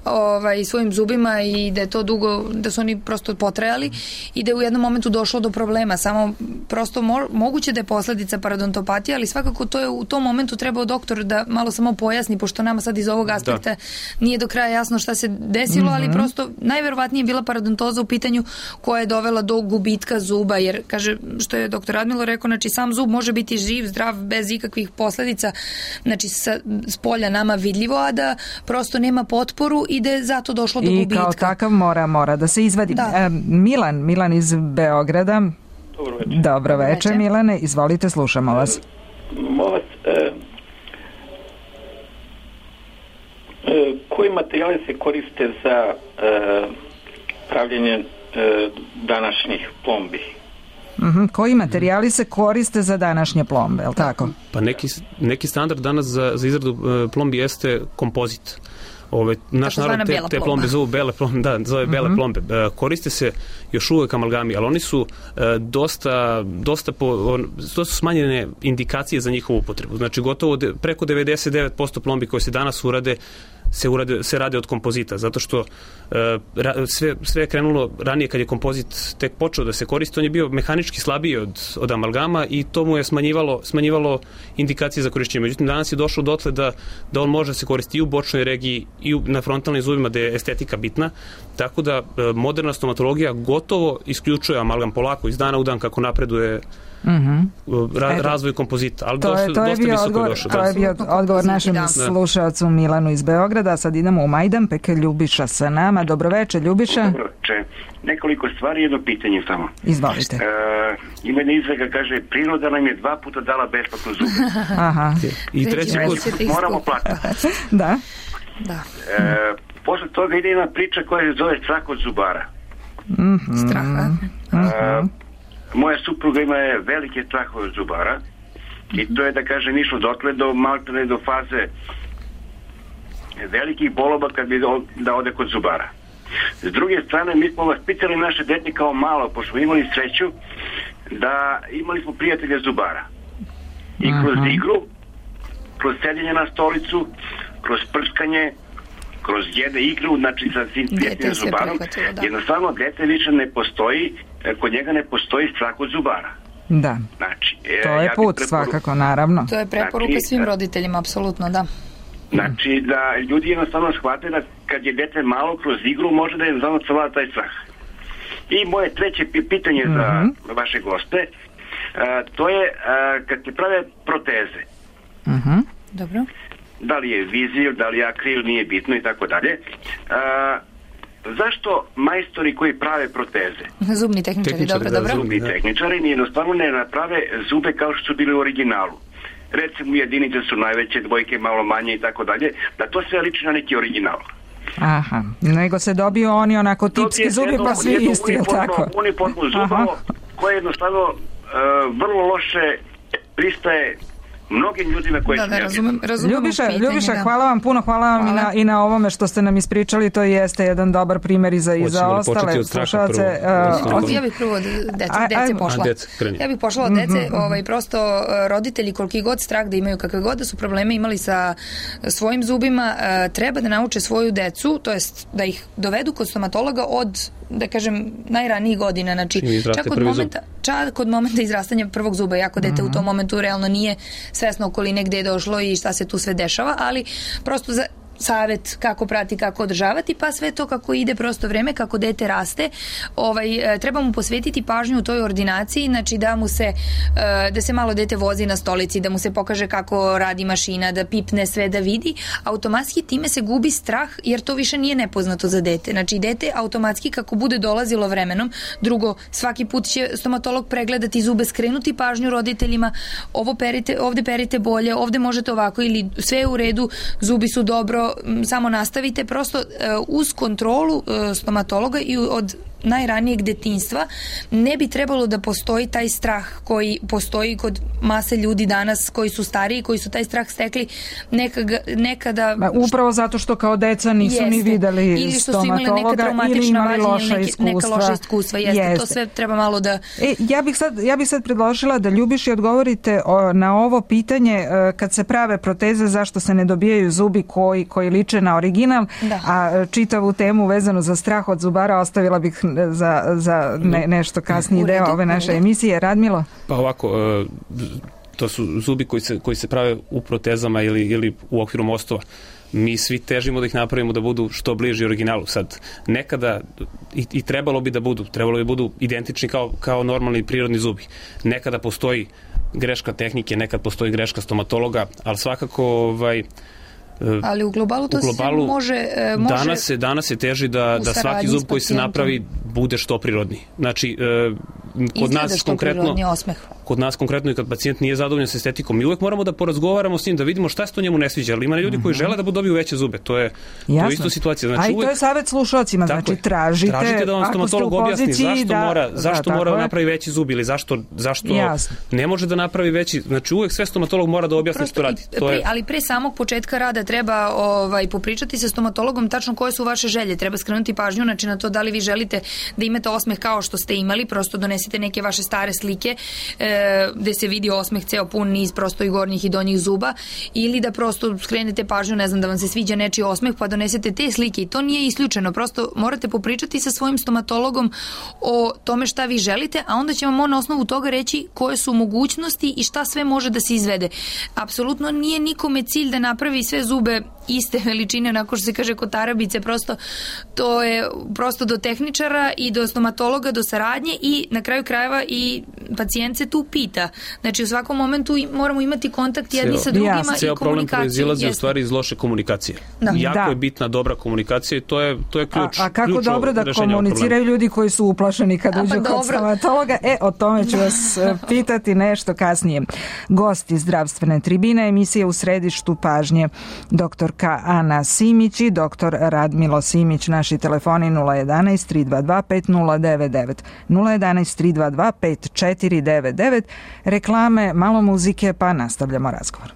ovaj, svojim zubima zubima i da je to dugo, da su oni prosto potrajali i da je u jednom momentu došlo do problema. Samo prosto mo, moguće da je posledica parodontopatija, ali svakako to je u tom momentu trebao doktor da malo samo pojasni, pošto nama sad iz ovog aspekta da. Nije do kraja jasno šta se desilo, mm-hmm. ali prosto najverovatnije je bila parodontoza u pitanju koja je dovela do gubitka zuba, jer kaže, što je doktor Radmilo rekao, znači sam zub može biti živ, zdrav, bez ikakvih posledica, znači sa, s polja nama vidljivo, a da prosto nema potporu i da je zato došlo do I gubitka. I kao takav mora, mora da se izvadi. Da. E, Milan, Milan iz Beograda. Dobro večer. Dobro večer, Milane, izvolite, slušamo vas. Molim, e, e, koji materijali se koriste za e, pravljenje e, današnjih plombi? Uh-huh. Koji materijali se koriste za današnje plombe, je li tako? Pa neki, neki standard danas za, za izradu uh, plombi jeste kompozit. Ove, naš narod te, te plombe zovu bele plombe, da, zove bele uh-huh. plombe. E, koriste se još uvek amalgami, ali oni su e, dosta, dosta, po, on, dosta smanjene indikacije za njihovu upotrebu. Znači, gotovo de, preko devedeset devet posto plombi koje se danas urade se, urade, se rade od kompozita, zato što e, ra, sve, sve je krenulo ranije kad je kompozit tek počeo da se koristi, on je bio mehanički slabiji od, od amalgama i to mu je smanjivalo, smanjivalo indikacije za korišćenje. Međutim, danas je došlo dotle da, da on može se koristiti i u bočnoj regiji i u, na frontalnim zubima gde je estetika bitna, tako da e, moderna stomatologija gotovo isključuje amalgam polako iz dana u dan kako napreduje Mm-hmm. Ra- razvoj kompozita, ali to dosta, je, to je dosta visoko odgovor, došlo. To je bio odgovor našem da. slušalcu Milanu iz Beograda. Sad idemo u Majdanpek, Ljubiša sa nama. Dobroveče, Ljubiša. Dobroveče. Nekoliko stvari, jedno pitanje samo. Izvolite. E, ima jedna izreka, kaže, priroda nam je dva puta dala besplatno zube. Aha. I treći put moramo platiti. Da. Da. E, posle toga ide jedna priča koja se zove strah od zubara. Mm-hmm. Straha. Mm-hmm. E, moja supruga ima je velike strahove od zubara i to je, da kažem, išlo dotle do maltene do faze velikih boloba kad bi da ode kod zubara. S druge strane, mi smo vas pitali naše dete kao malo, pošto smo imali sreću da imali smo prijatelja zubara i kroz Aha. igru, kroz sedjenje na stolicu, kroz prskanje, kroz jedne igru, znači sa svim prijateljima zubarom, da. jednostavno dete više ne postoji, kod njega ne postoji strah od zubara. Da. Znači, to je ja put preporu... svakako, naravno. To je preporuka znači, svim roditeljima, apsolutno, da. Znači, da ljudi jednostavno shvate da kad je dete malo kroz igru, može da je jednostavno savlada taj strah. I moje treće pitanje mm-hmm. za vaše goste, a, to je a, kad se prave proteze. Mhm. Dobro. Da li je vizir, da li je akril, nije bitno i tako dalje. Zašto majstori koji prave proteze, zubni tehničari, tehničari dobro, da, dobro. Zubni da. tehničari jednostavno ne naprave zube kao što su bili u originalu. Recimo jedinice su najveće, dvojke malo manje i tako dalje, da to sve liči na neki original. Aha, nego se dobiju oni onako tipski zubi jedno, pa svi isti, je tako? Uniformno zubovo koje jednostavno uh, vrlo loše pristaje mnogim ljudima koji da, su da, razumem, razumem Ljubiša, pitanje, Ljubiša da. hvala vam puno, hvala vam hvala. I, na, i na ovome što ste nam ispričali, to jeste jedan dobar primjer i za, i za ostale slušalce. Uh, ja bih prvo od dece, a, dece pošla. A, dece, ja bih pošla od dece, mm-hmm. ovaj, prosto roditelji koliki god strah da imaju, kakve god da su probleme imali sa svojim zubima, uh, treba da nauče svoju decu, to jest da ih dovedu kod stomatologa od, da kažem, najranijih godina, znači čak od momenta, čak od momenta izrastanja prvog zuba, jako dete mm-hmm. u tom momentu realno nije svesno okoline gde je došlo i šta se tu sve dešava, ali prosto za savet kako prati, kako održavati, pa sve to kako ide prosto vreme, kako dete raste, ovaj, treba mu posvetiti pažnju u toj ordinaciji, znači da mu se da se malo dete vozi na stolici, da mu se pokaže kako radi mašina, da pipne sve, da vidi, automatski time se gubi strah, jer to više nije nepoznato za dete, znači dete automatski kako bude dolazilo vremenom, drugo, svaki put će stomatolog pregledati zube, skrenuti pažnju roditeljima, ovo perite, ovde perite bolje, ovde možete ovako ili sve je u redu, zubi su dobro, samo nastavite, prosto uz kontrolu stomatologa i od najranijeg detinjstva ne bi trebalo da postoji taj strah koji postoji kod mase ljudi danas koji su stariji, koji su taj strah stekli nekada... nekada Ma, upravo zato što kao deca nisu jeste, ni videli stomatologa ili imali loša neke, iskustva. Neka loša iskustva, jeste. jeste. To sve treba malo da... E, ja, bih sad, ja bih sad predložila da Ljubiši odgovorite o, na ovo pitanje kad se prave proteze zašto se ne dobijaju zubi koji, koji liče na original, da. A čitavu temu vezanu za strah od zubara ostavila bih za, za ne, nešto kasniji deo ove naše emisije. Radmilo? Pa ovako, to su zubi koji se, koji se prave u protezama ili, ili u okviru mostova. Mi svi težimo da ih napravimo da budu što bliži originalu. Sad, nekada, i, i trebalo bi da budu, trebalo bi budu identični kao, kao normalni prirodni zubi. Nekada postoji greška tehnike, nekad postoji greška stomatologa, ali svakako ovaj, ali u globalu to u globalu, se može, može danas se danas se teži da da svaki zub koji se napravi bude što prirodniji. Znači kod nas konkretno kod nas konkretno i kad pacijent nije zadovoljan sa estetikom, mi uvek moramo da porazgovaramo s njim, da vidimo šta se to njemu ne sviđa, ali ima ljudi koji žele da dobiju veće zube. To je Jasno. to je isto situacija. Znači, a i to je savjet slušaocima, znači tražite, tražite da vam stomatolog objasni zašto da, mora, zašto da, mora da napravi veći zub ili zašto zašto Jasno. ne može da napravi veći. Znači uvek sve stomatolog mora da objasni što radi. To pre, je ali pre samog početka rada treba ovaj popričati sa stomatologom tačno koje su vaše želje. Treba skrenuti pažnju znači na to da li vi želite da imate osmeh kao što ste imali, prosto donesite neke vaše stare slike e, gde se vidi osmeh ceo pun niz prosto i gornjih i donjih zuba, ili da prosto skrenete pažnju, ne znam, da vam se sviđa nečiji osmeh pa donesete te slike, i to nije isključeno. Prosto morate popričati sa svojim stomatologom o tome šta vi želite, a onda će vam on na osnovu toga reći koje su mogućnosti i šta sve može da se izvede. Apsolutno nije nikome cilj da napravi sve zube iste veličine, onako što se kaže kod tarabice, prosto to je prosto do tehničara i do stomatologa, do saradnje, i na kraju krajeva i pacijent se tu pita. Znači u svakom momentu moramo imati kontakt jedni sa drugima i komunikaciju. Problem proizilazi u stvari iz loše komunikacije. Da. Jako da. je bitna dobra komunikacija i to je, to je ključ. A, a kako dobro da komuniciraju ljudi koji su uplašeni kad uđu pa kod stomatologa? E, o tome ću vas pitati nešto kasnije. Gosti zdravstvene tribine, emisije u središtu pažnje, doktorka Ana Simić i doktor Radmilo Simić. Naši telefoni nula jedanaest tri dva dva pet nula devet devet, nula jedanaest tri dva dva pet četiri devet devet. Reklame, malo muzike, pa nastavljamo razgovor.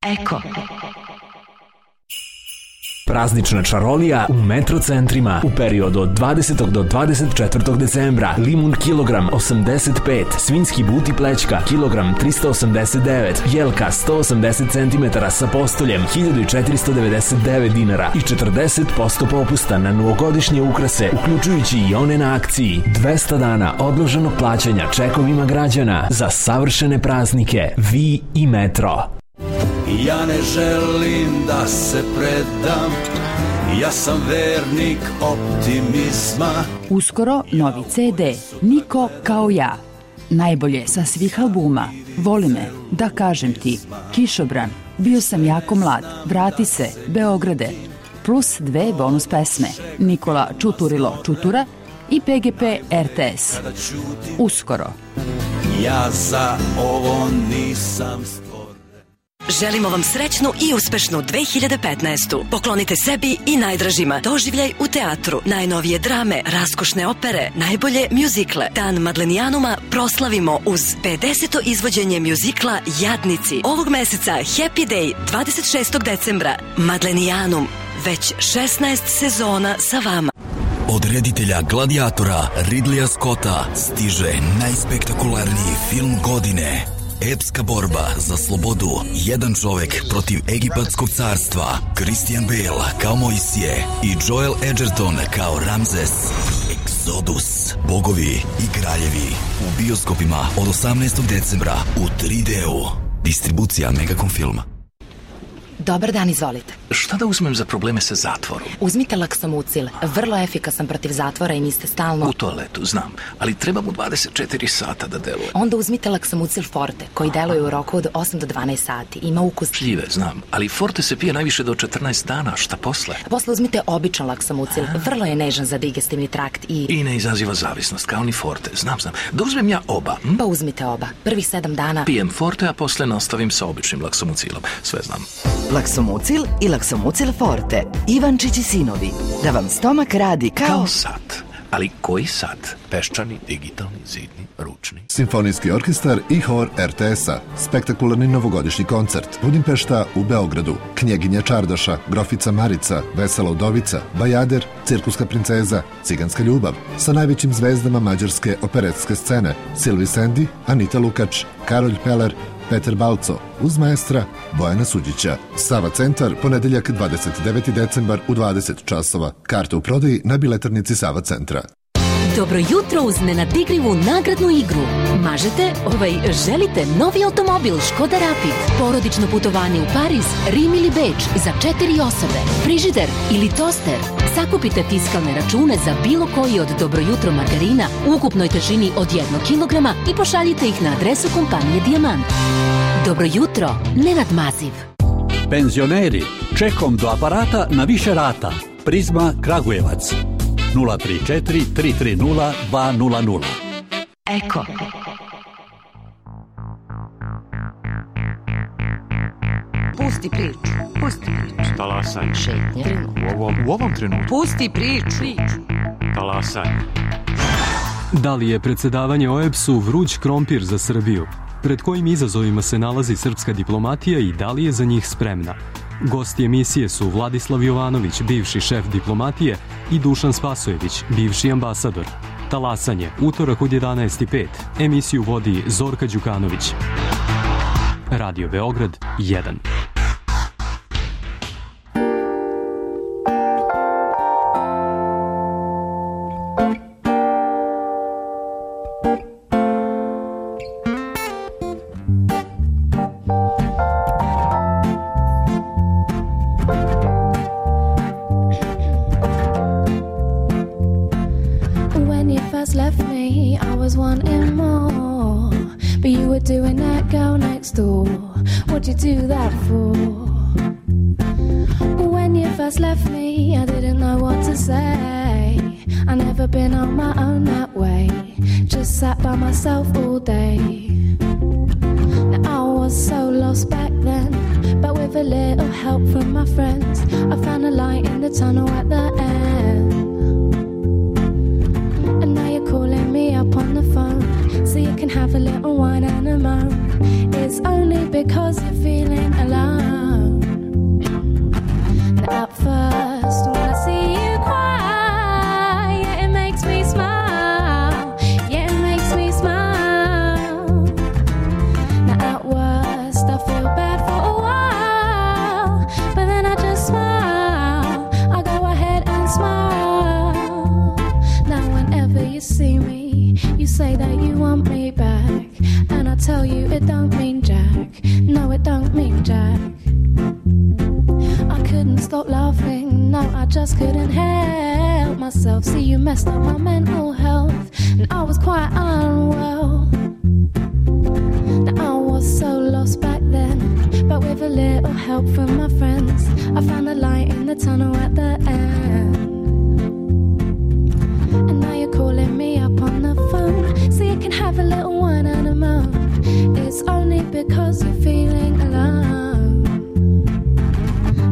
Eko. Praznična čarolija u Metro centrima u periodu od dvadesetog do dvadeset četvrtog decembra. Limun kilogram osamdeset pet, svinjski but i plećka kilogram trista osamdeset devet, jelka sto osamdeset centimetara sa postoljem hiljadu četiristo devedeset devet dinara i četrdeset posto popusta na novogodišnje ukrase, uključujući i one na akciji. dvesta dana odloženog plaćanja čekovima građana za savršene praznike. Vi i Metro. Ja ne želim da se predam, ja sam vernik optimizma. Uskoro novi ce de, Niko kao ja. Najbolje sa svih albuma. Voli me, da kažem ti, Kišobran, bio sam jako mlad, vrati se, Beograde. Plus dve bonus pesme, Nikola Čuturilo Čutura i pe ge pe er te es. Uskoro. Ja za ovo nisam... Želimo vam srećnu i uspešnu dve hiljade petnaestu. Poklonite sebi i najdražima doživljaj u teatru, najnovije drame, raskošne opere, najbolje mjuzikle. Dan Madlenijanuma proslavimo uz pedeseto izvođenje mjuzikla Jadnici. Ovog meseca Happy Day dvadeset šestog decembra. Madlenijanum, već šesnaest sezona sa vama. Od reditelja Gladiatora Ridleya Scotta stiže najspektakularniji film godine. Epska borba za slobodu. Jedan čovek protiv egipatskog carstva. Christian Bale kao Mojsije i Joel Edgerton kao Ramzes. Exodus. Bogovi i kraljevi. U bioskopima od osamnaestog decembra u tri de-u. Distribucija Megacom filma. Dobar dan, izvolite. Šta da uzmem za probleme sa zatvorom? Uzmite Laksomucil, vrlo efikasan protiv zatvora i niste stalno... U toaletu, znam, ali treba mu dvadeset četiri sata da deluje. Onda uzmite Laksomucil Forte, koji deluje u roku od osam do dvanaest sati. Ima ukus... Šljive, znam, ali Forte se pije najviše do četrnaest dana, šta posle? Posle uzmite običan Laksomucil, vrlo je nežan za digestivni trakt i... I ne izaziva zavisnost, kao ni Forte, znam, znam. Da uzmem ja oba? Hm? Pa uzmite oba, prvih sedam dana... Pijem Forte, a posle nastavim sa običnim Laksomucilom, sve znam. Laksomucil i Laksomucil Forte. Ivančić i sinovi. Da vam stomak radi kao... Kao sat. Ali koji sad? Peščani, digitalni, zidni, ručni? Simfonijski orkestar i hor er te es-a. Spektakularni novogodišnji koncert. Budimpešta u Beogradu. Knjeginja Čardaša, Grofica Marica, Vesela udovica, Bajader, Cirkuska princeza, Ciganska ljubav. Sa najvećim zvezdama mađarske operetske scene. Silvi Sendi, Anita Lukač, Karolj Peler, Peter Balco, uz maestra Bojana Suđića. Sava centar, ponedeljak dvadeset deveti decembar u dvadeset časova. Karte u prodaji na biletarnici Sava centra. Dobro jutro uz nenadigrivu nagradnu igru. Mažete, ovaj, želite novi automobil Škoda Rapid, porodično putovanje u Pariz, Rim ili Beč za četiri osobe, frižider ili toster. Sakupite fiskalne račune za bilo koji od Dobro jutro margarina u ukupnoj težini od jednog kilograma i pošaljite ih na adresu kompanije Dijamant. Dobro jutro, Nenad Maziv. Penzioneri, čekom do aparata na više rata. Prizma Kragujevac. nula tri četiri tri tri nula dva nula nula. Eko. Pusti priču. Pusti priču. Talasanje. Šetnje. U ovom, u ovom trenutku. Pusti priču. Talasanje. Da li je predsedavanje o e b s-u vruć krompir za Srbiju? Pred kojim izazovima se nalazi srpska diplomatija i da li je za njih spremna? Gosti emisije su Vladislav Jovanović, bivši šef diplomatije, i Dušan Spasojević, bivši ambasador. Talasanje, utorak od jedanaest i pet. Emisiju vodi Zorka Đukanović. Radio Beograd jedan. Do that for when you first left me, I didn't know what to say. I never been on my own that way, just sat by myself all day. Now I was so lost back then, but with a little help from my friends, I found a light in the tunnel at the end. And now you're calling me up on the phone, so you can have a little wine and a moan. It's only because you're feeling alone. Now at first, when I see you cry, yeah, it makes me smile. Yeah, it makes me smile. Now at worst, I feel bad for a while, but then I just smile. I go ahead and smile. Now whenever you see me, you say that you want me back, and I tell you it don't mean jack. No, it don't mean jack. I couldn't stop laughing, no, I just couldn't help myself. See, you messed up my mental health, and I was quite unwell. Now I was so lost back then, but with a little help from my friends, I found the light in the tunnel at the end. And now you're calling me up on the phone, so you can have a little wine and a moan. It's only because you're feeling alone.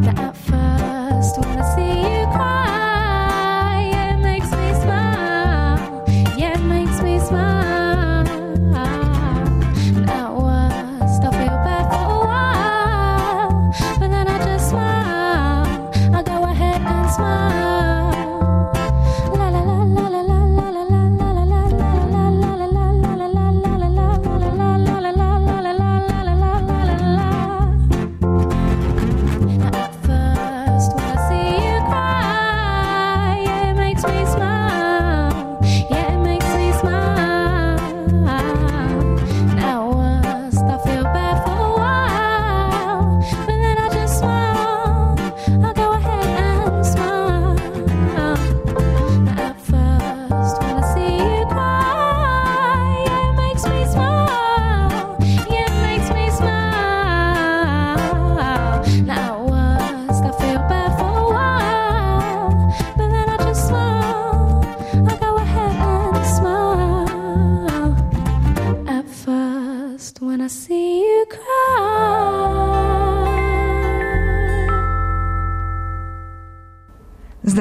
That at first, when I see you cry, yeah, it makes me smile. Yeah, it makes me smile. And at worst, I feel bad for a while, but then I just smile. I go ahead and smile.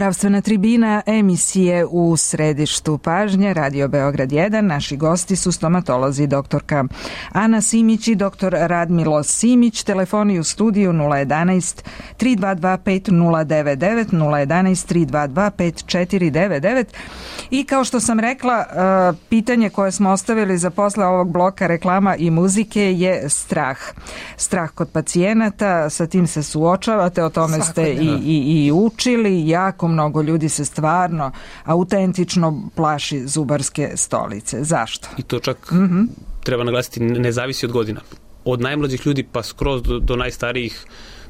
Zdravstvena tribina emisije u središtu pažnje Radio Beograd jedan. Naši gosti su stomatolozi doktorka Ana Simić i doktor Radmilo Simić. Telefoni u studiju nula jedanaest tri dva dva pet nula devet devet, nula jedanaest tri dva dva pet četiri devet devet. I kao što sam rekla, pitanje koje smo ostavili za posle ovog bloka reklama i muzike je strah. Strah kod pacijenata, sa tim se suočavate, o tome ste i, i, i učili. Jako mnogo ljudi se stvarno autentično plaši zubarske stolice. Zašto? I to čak mm-hmm. treba naglasiti, ne zavisi od godina. Od najmlađih ljudi pa skroz do, do najstarijih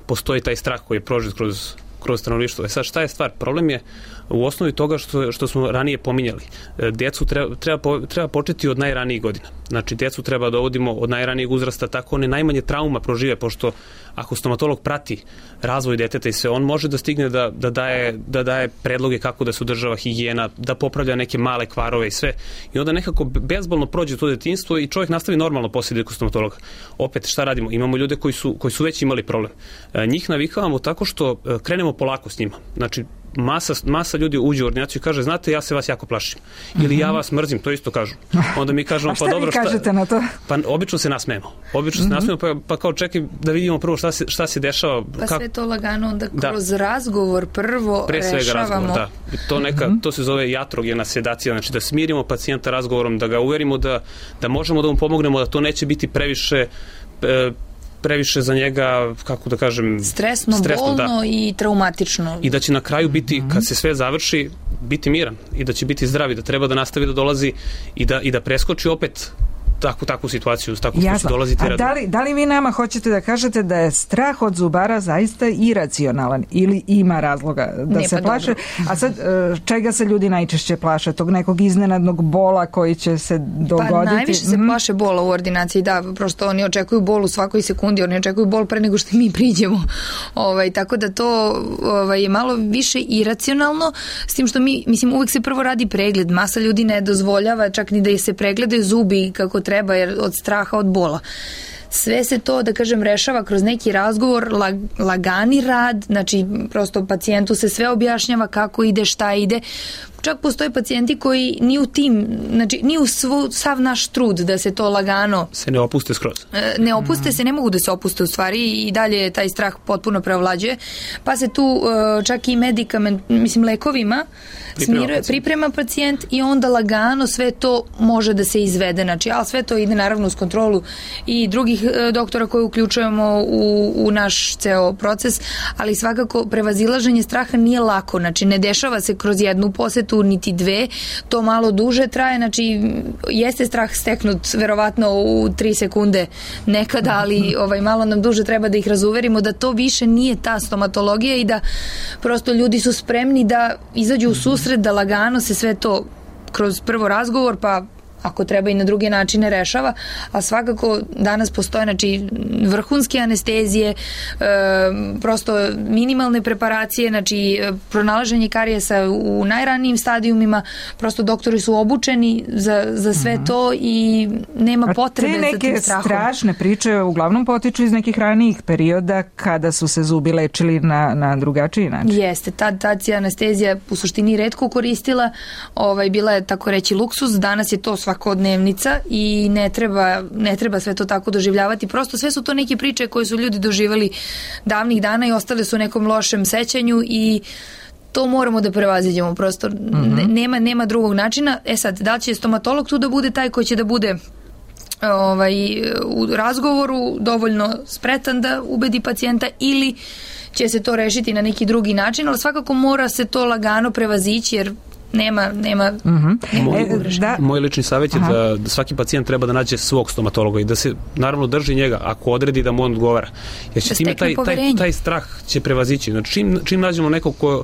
postoji taj strah koji je prožet kroz kroz stanovništvo. E sad, šta je stvar? Problem je u osnovi toga što, što smo ranije pominjali. Djecu treba, treba, treba početi od najranijih godina. Znači, djecu treba dovodimo od najranijeg uzrasta, tako one najmanje trauma prožive, pošto ako stomatolog prati razvoj deteta i sve, on može da stigne da, da, daje, da daje predloge kako da se održava higijena, da popravlja neke male kvarove i sve. I onda nekako bezbolno prođe to detinjstvo i čovjek nastavi normalno poslije kod stomatologa. Opet, šta radimo? Imamo ljude koji su, koji su već imali problem. Njih navikavamo tako što krenemo polako s njima. Znači, masa, masa ljudi uđe u ordinaciju i kaže, znate, ja se vas jako plašim. Ili ja vas mrzim, to isto kažu. Onda mi kažemo, pa dobro, šta... kažete na to? Pa obično se nasmejemo. Obično se mm-hmm. nasmejemo, pa, pa kao čekaj da vidimo prvo šta se, šta se dešava. Pa kako... sve to lagano onda kroz da. razgovor prvo Pre svega rešavamo. Razgovor, da. To, neka, mm-hmm. to se zove jatrogena sedacija, znači da smirimo pacijenta razgovorom, da ga uverimo da, da možemo da mu pomognemo, da to neće biti previše... E, previše za njega, kako da kažem... Stresno, stresno bolno da. I traumatično. I da će na kraju biti, kad se sve završi, biti miran i da će biti zdrav i da treba da nastavi da dolazi i da, i da preskoči opet takvu, takvu situaciju, takvu što će dolaziti. A da li, da li vi nama hoćete da kažete da je strah od zubara zaista iracionalan ili ima razloga da ne, se pa plaše? Dobro. A sad, čega se ljudi najčešće plaše? Tog nekog iznenadnog bola koji će se dogoditi? Pa najviše se plaše bola u ordinaciji, da, prosto oni očekuju bol u svakoj sekundi, oni očekuju bol pre nego što mi priđemo. Ovaj, tako da to ovaj, je malo više iracionalno, s tim što mi, mislim, uvek se prvo radi pregled, masa ljudi ne dozvoljava čak ni da se pregledaju zubi kako treba, jer od straha, od bola. Sve se to, da kažem, rešava kroz neki razgovor, lag, lagani rad, znači prosto pacijentu se sve objašnjava kako ide, šta ide. Čak postoje pacijenti koji ni u tim, znači ni u svu, sav naš trud da se to lagano... Se ne opuste skroz. Ne opuste mm. se, ne mogu da se opuste u stvari i dalje taj strah potpuno preovlađuje. Pa se tu čak i medikament, mislim lekovima, priprema, smiruje, priprema pacijent i onda lagano sve to može da se izvede. Znači, ali sve to ide naravno uz kontrolu i drugih doktora koje uključujemo u, u naš ceo proces, ali svakako prevazilaženje straha nije lako. Znači, ne dešava se kroz jednu posetu niti dve, to malo duže traje, znači jeste strah steknut verovatno u tri sekunde nekada, ali ovaj, malo nam duže treba da ih razuverimo da to više nije ta stomatologija i da prosto ljudi su spremni da izađu u susret, da lagano se sve to kroz prvo razgovor, pa ako treba i na druge načine rešava, a svakako danas postoje, znači, vrhunske anestezije, e, prosto minimalne preparacije, znači pronalaženje karijesa u najranijim stadijumima, prosto doktori su obučeni za, za sve mm-hmm. to i nema potrebe za tim strahom. Te neke strašne priče uglavnom potiču iz nekih ranijih perioda kada su se zubi lečili na, na drugačiji način. Jeste, tad, tad se anestezija u suštini retko koristila, ovaj, bila je tako reći luksuz, danas je to svakodnevnica i ne treba, ne treba sve to tako doživljavati. Prosto sve su to neke priče koje su ljudi doživali davnih dana i ostale su u nekom lošem sećanju i to moramo da prevaziđemo. Prosto mm-hmm. nema, nema drugog načina. E sad, da li će stomatolog tu da bude taj koji će da bude ovaj, u razgovoru dovoljno spretan da ubedi pacijenta ili će se to rešiti na neki drugi način, ali svakako mora se to lagano prevazići jer nema, nema, mm-hmm. nema moj, da. Moj lični savjet je da, da svaki pacijent treba da nađe svog stomatologa i da se naravno drži njega ako odredi da mu on odgovara. Jer će da time taj, taj, taj strah će prevazići. Znači, čim, čim nađemo nekog ko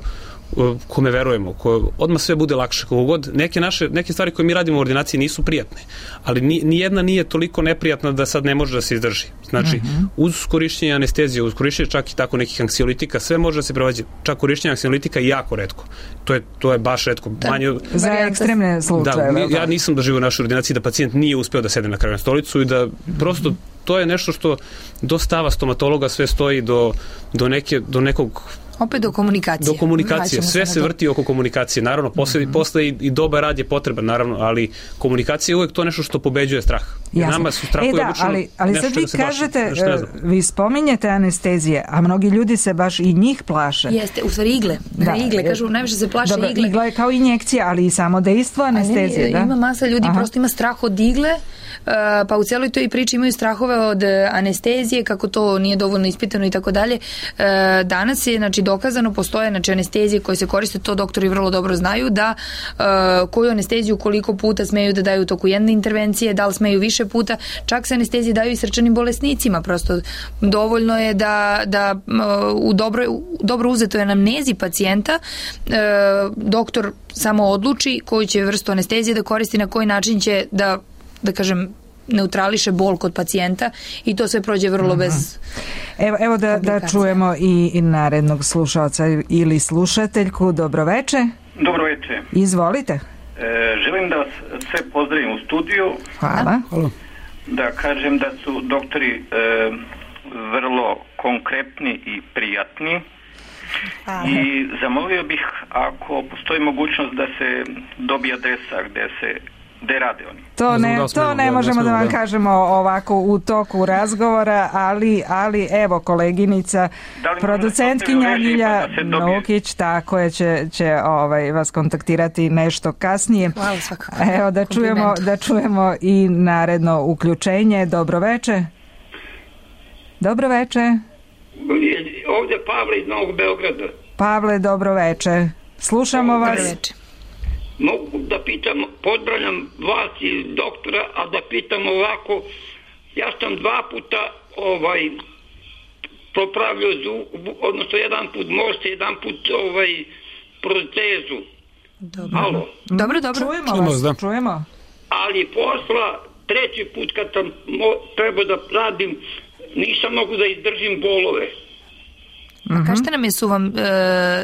kome verujemo, ko odmah sve bude lakše. Kogod, neke naše, neke stvari koje mi radimo u ordinaciji nisu prijatne, ali ni, ni jedna nije toliko neprijatna da sad ne može da se izdrži. Znači, mm-hmm. uz korišćenje anestezije, uz korišćenje čak i tako nekih anksiolitika, sve može da se prevazi. Čak korišćenje anksiolitika je jako retko. To je, to je baš retko. Da, manje, za ekstremne slučajeve. Da, ja nisam doživio u našoj ordinaciji da pacijent nije uspeo da sede na kraju na stolicu i da prosto to je nešto što do stava stomatologa sve stoji do, do, neke, do nekog Opet do komunikacije. Do komunikacije, sve se vrti oko komunikacije. Naravno, posle, mm-hmm. posle i, i dobar rad je potreban, naravno, ali komunikacija je uvek to nešto što pobeđuje strah. Jer nama su strahovi e da, obično ali, ali sad vi kažete, plaši, vi spominjete anestezije, a mnogi ljudi se baš i njih plaše. Jeste, u stvari igle. Da, igle, kažu, najviše se plaše dobro, igle. Igla je kao injekcija, ali i samo dejstvo anestezije, ne, da? Ima masa ljudi, Aha. prosto ima strah od igle, pa u celoj toj priči imaju strahove od anestezije, kako to nije dovoljno ispitano i tako dalje. Danas je, znači, dokazano, postoje, znači, anestezije koje se koriste, to doktori vrlo dobro znaju, da koju anesteziju koliko puta smeju da daju u toku jedne intervencije, da li smeju više puta, čak se anestezije daju i srčanim bolesnicima, prosto dovoljno je da, da u dobro, dobro uzetoj anamnezi pacijenta doktor samo odluči koju će vrstu anestezije da koristi, na koji način će da da kažem, neutrališe bol kod pacijenta i to sve prođe vrlo uh-huh. bez Evo, evo da, da čujemo i, i narednog slušalca ili slušateljku. Dobroveče. Dobroveče. Izvolite. E, želim da vas sve pozdravim u studiju. Hvala. Hvala. Da kažem da su doktori e, vrlo konkretni i prijatni. Hvala. I zamolio bih, ako postoji mogućnost da se dobije adresa gde se gde rade oni. To ne, ne, to ne, ne možemo da vam da. kažemo ovako u toku razgovora, ali, ali evo koleginica, producentkinja Ljilja Nukić, tako je, će, će ovaj, vas kontaktirati nešto kasnije. Hvala, svakako. Evo da čujemo, da čujemo i naredno uključenje. Dobroveče. Dobroveče. Ovdje Pavle iz Novog Beograda. Pavle, dobroveče. Slušamo vas. Dobroveče. Mogu da pitam, pozdravljam vas i doktora, a da pitam ovako, ja sam dva puta ovaj popravljao zub, odnosno jedan put možete, jedan put ovaj protezu. Dobro. Alo. Dobro, dobro. Čujemo, čujemo vas, da. čujemo. Ali posla, treći put kad sam mo- trebao da radim, nisam mogu da izdržim bolove. A kažete nam, jesu vam, e,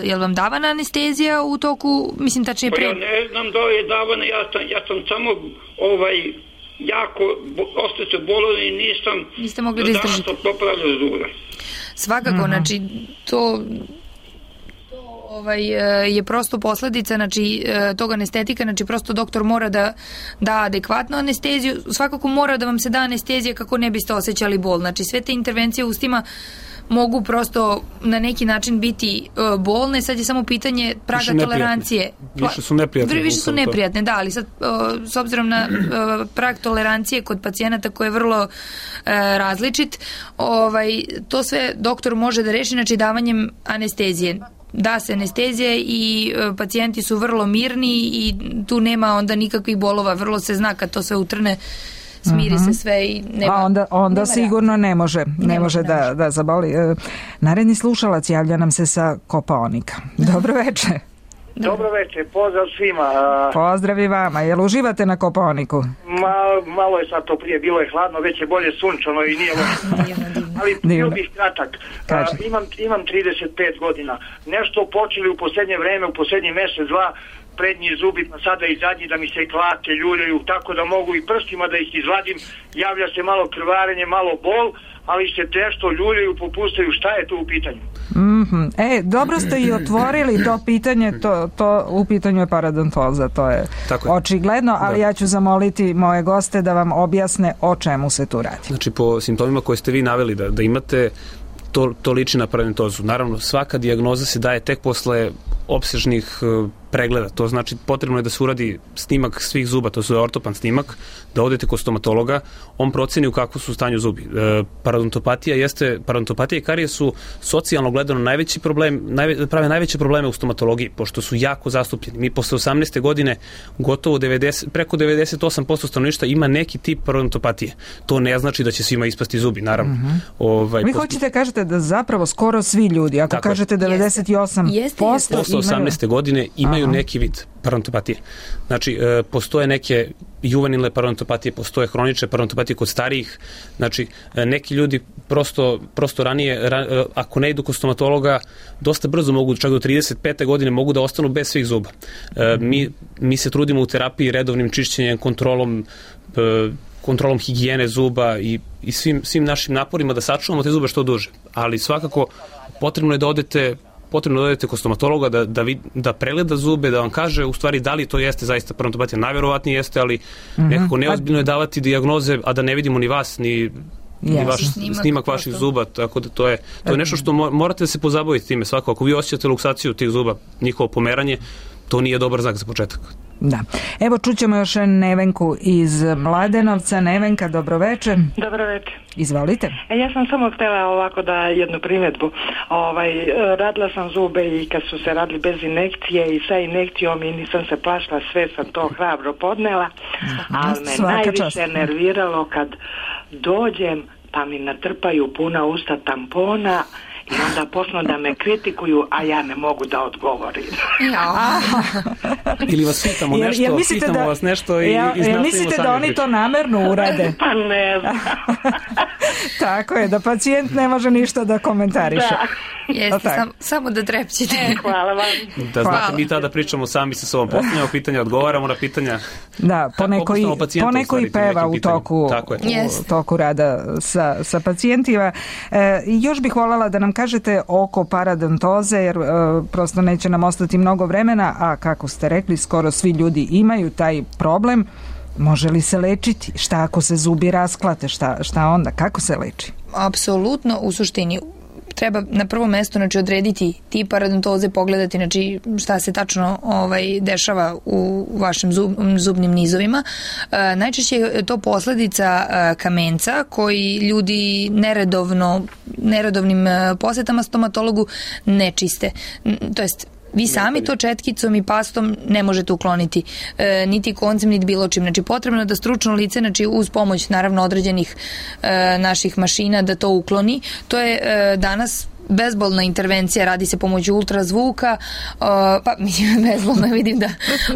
je li vam davana anestezija u toku, mislim tačnije pre... Pa ja ne znam da je davana, ja sam, ja sam samo ovaj, jako, ostao se bolovan i nisam... Niste mogli da izdržite. Danas sam popravljao zube. Svakako, uh-huh. znači, to... Ovaj, je prosto posledica, znači, tog anestetika, znači prosto doktor mora da da adekvatnu anesteziju, svakako mora da vam se da anestezija kako ne biste osjećali bol. Znači sve te intervencije u ustima mogu prosto na neki način biti uh, bolne, sad je samo pitanje praga više tolerancije. Više su neprijatne. Više su neprijatne, da, ali sad uh, s obzirom na uh, prag tolerancije kod pacijenata koji je vrlo uh, različit, ovaj, to sve doktor može da reši, znači davanjem anestezije. Da se anestezija i uh, pacijenti su vrlo mirni i tu nema onda nikakvih bolova, vrlo se zna kad to sve utrne, smiri uh-huh. se sve i nema... A onda, onda nema sigurno ne može, ne, ne može da, može da zaboli. E, naredni slušalac javlja nam se sa Kopaonika. Dobro večer. Dobro večer, pozdrav svima. Pozdrav i vama. Jel uživate na Kopaoniku? Ma, malo je sad to prije, bilo je hladno, već je bolje sunčano i nije loše. Ali bio bih kratak. A, imam, imam trideset pet godina. Nešto počeli u posljednje vreme, u posljednji mjesec, dva, prednji zubi, pa sada i zadnji da mi se klake, ljuljaju, tako da mogu i prstima da ih izvadim, javlja se malo krvarenje, malo bol, ali se nešto ljuljaju, popustaju, šta je tu u pitanju? Mm-hmm. E, dobro ste i otvorili to pitanje, to, to u pitanju je parodontoza, to je, je. očigledno, ali da. Ja ću zamoliti moje goste da vam objasne o čemu se tu radi. Znači, po simptomima koje ste vi naveli da, da imate, to, to liči na parodontozu. Naravno, svaka dijagnoza se daje tek posle opsežnih uh, pregleda. To znači potrebno je da se uradi snimak svih zuba, to je ortopan snimak, da odete kod stomatologa, on proceni u kakvu su stanju zubi. E, parodontopatija jeste, parodontopatija i karije su socijalno gledano najveći problem, najve, prave najveće probleme u stomatologiji, pošto su jako zastupljeni. Mi posle osamnaeste godine gotovo devedeset, preko devedeset osam posto stanovništva ima neki tip parodontopatije. To ne znači da će svima ispasti zubi, naravno. Mm-hmm. Ovaj, Vi posto... hoćete kažete da zapravo skoro svi ljudi, ako tako kažete devedeset osam posto posle osamnaeste godine imaju neki vid parodontopatije. Znači, e, postoje neke juvenilne parodontopatije, postoje hronične parodontopatije kod starijih. Znači, e, neki ljudi prosto, prosto ranije, ra, e, ako ne idu kod stomatologa, dosta brzo mogu, čak do trideset pete godine, mogu da ostanu bez svih zuba. E, mi, mi se trudimo u terapiji redovnim čišćenjem, kontrolom, e, kontrolom higijene zuba i, i svim, svim našim naporima da sačuvamo te zube što duže. Ali svakako potrebno je da odete potrebno da odete kod stomatologa da, da, vid, da pregleda zube, da vam kaže u stvari da li to jeste zaista parodontopatija. Najverovatnije jeste, ali mm-hmm. nekako neozbiljno je davati dijagnoze, a da ne vidimo ni vas, ni Yes. vaš snimak, snimak vaših zuba, tako da to je, to je nešto što morate da se pozabaviti time svako. Ako vi osjećate luksaciju tih zuba, njihovo pomeranje, to nije dobar znak za početak. Da. Evo čućemo još Nevenku iz Mladenovca. Nevenka, dobroveče. Dobroveče. Izvolite. E, ja sam samo htjela ovako da jednu primjedbu. Ovaj, radila sam zube i kad su se radili bez injekcije i sa injekcijom i nisam se plašila, sve sam to hrabro podnela, ali me Svaka najviše čast. nerviralo kad dođem pa mi natrpaju puna usta tampona i onda počnu da me kritikuju, a ja ne mogu da odgovorim. Ja. Ili vas pitamo nešto, jel, jel pitamo da, vas nešto i, ja, i jel mislite da oni to namerno urade? Pa ne znam. Tako je, da pacijent ne može ništa da komentariše. Da. Jeste, sam, samo da trepćete. E, hvala vam. Da znate, hvala. Mi tada pričamo sami sa sobom, postavljamo pitanja, odgovaramo na pitanja. Da, poneko i, poneko i peva u toku, u toku rada sa, sa pacijentima. E, još bih voljela da nam kažete oko paradontoze, jer e, prosto neće nam ostati mnogo vremena, a kako ste rekli, skoro svi ljudi imaju taj problem. Može li se lečiti? Šta ako se zubi rasklate? Šta, šta onda? Kako se leči? Apsolutno, u suštini treba na prvo mesto znači odrediti tip paradontoze, pogledati znači šta se tačno ovaj dešava u vašim zub, zubnim nizovima. E, najčešće je to posledica e, kamenca koji ljudi neredovno neredovnim e, posetama stomatologu ne čiste. To jest vi sami to četkicom i pastom ne možete ukloniti, e, niti koncem, niti bilo čim. Znači, potrebno je da stručno lice, znači uz pomoć naravno određenih e, naših mašina da to ukloni. To je e, danas bezbolna intervencija, radi se pomoću ultrazvuka, uh, pa mislim bezbolno vidim da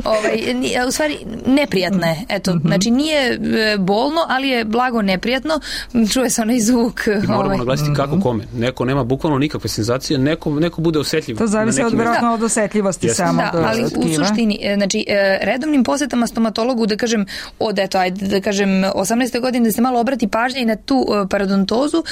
ovaj, u stvari neprijatna je, eto, mm-hmm. znači nije bolno, ali je blago neprijatno, čuje se onaj zvuk. I moramo ovaj. naglasiti kako kome, neko nema bukvalno nikakve senzacije, neko, neko bude osetljiv. To zavisi od vjerojatno od osetljivosti yes. samo da, ali u suštini, znači redovnim posetama stomatologu, da kažem od, eto, ajde da kažem osamnaeste godine da se malo obrati pažnja i na tu paradontozu,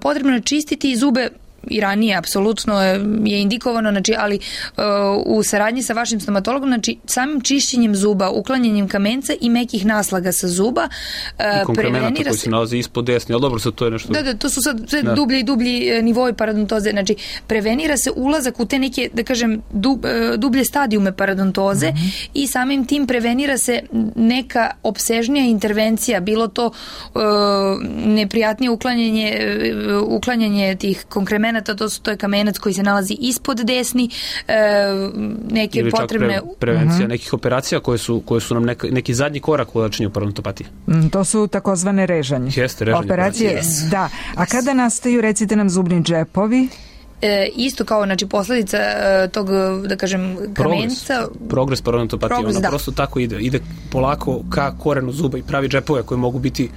potrebno je čistiti zube i ranije, apsolutno je indikovano, znači, ali uh, u saradnji sa vašim stomatologom, znači samim čišćenjem zuba, uklanjanjem kamenca i mekih naslaga sa zuba, uh, i konkremenata koji se nalazi ispod desni, ali dobro, sad to je nešto... Da, da, to su sad sve da. dublji i dublji nivoi paradontoze, znači prevenira se ulazak u te neke, da kažem, dub, dublje stadijume paradontoze mm-hmm. i samim tim prevenira se neka opsežnija intervencija, bilo to uh, neprijatnije uklanjanje, uh, uklanjanje tih konkremenata, to, su, to je kamenac koji se nalazi ispod desni, e, neke ili potrebne... Pre, prevencija uh-huh. nekih operacija koje su, koje su nam neka, neki zadnji korak u lečenju parodontopatije. Mm, to su takozvane režanje. Jeste, režanje. Operacije, yes. da. A kada nastaju, recite nam, zubni džepovi? E, isto kao, znači, posledica e, tog, da kažem, kamenca... Progres, progres parodontopatije, ona da. prosto tako ide. Ide polako ka korenu zuba i pravi džepove koje mogu biti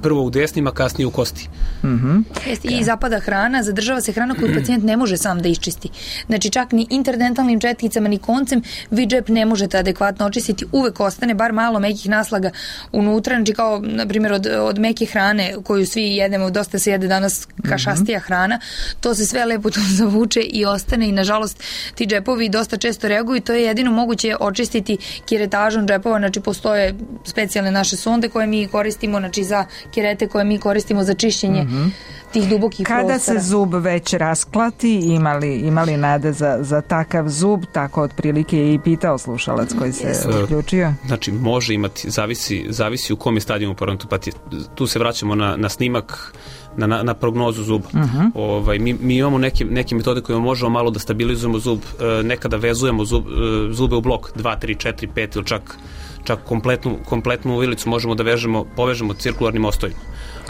prvo u desnima, kasnije u kosti. Mm-hmm. Jeste, i zapada hrana, zadržava se hrana koju pacijent ne može sam da iščisti. Znači, čak ni interdentalnim četkicama, ni koncem vi džep ne možete adekvatno očistiti. Uvek ostane bar malo mekih naslaga unutra, znači kao, na primjer, od, od meke hrane koju svi jedemo, dosta se jede danas kašastija hrana, to se sve lepo tu zavuče i ostane i, nažalost, ti džepovi dosta često reaguju i to je jedino moguće očistiti kiretažom džepova, znači postoje specijalne naše sonde koje mi koristimo, znači za kirete koje mi koristimo za čišćenje mm-hmm. tih dubokih Kada prostora. Kada se zub već rasklati, imali, imali nade za, za takav zub, tako otprilike je i pitao slušalac koji se yes. uključio. Znači, može imati, zavisi, zavisi u kom je stadijumu parodontopatije. Tu se vraćamo na, na snimak, na, na, na prognozu zuba. Uh-huh. Ovaj, mi, mi imamo neke, neke metode koje možemo malo da stabilizujemo zub, nekada vezujemo zub, zube u blok dva, tri, četiri, pet ili čak čak kompletnu, kompletnu uvilicu možemo da vežemo, povežemo cirkularnim mostovima.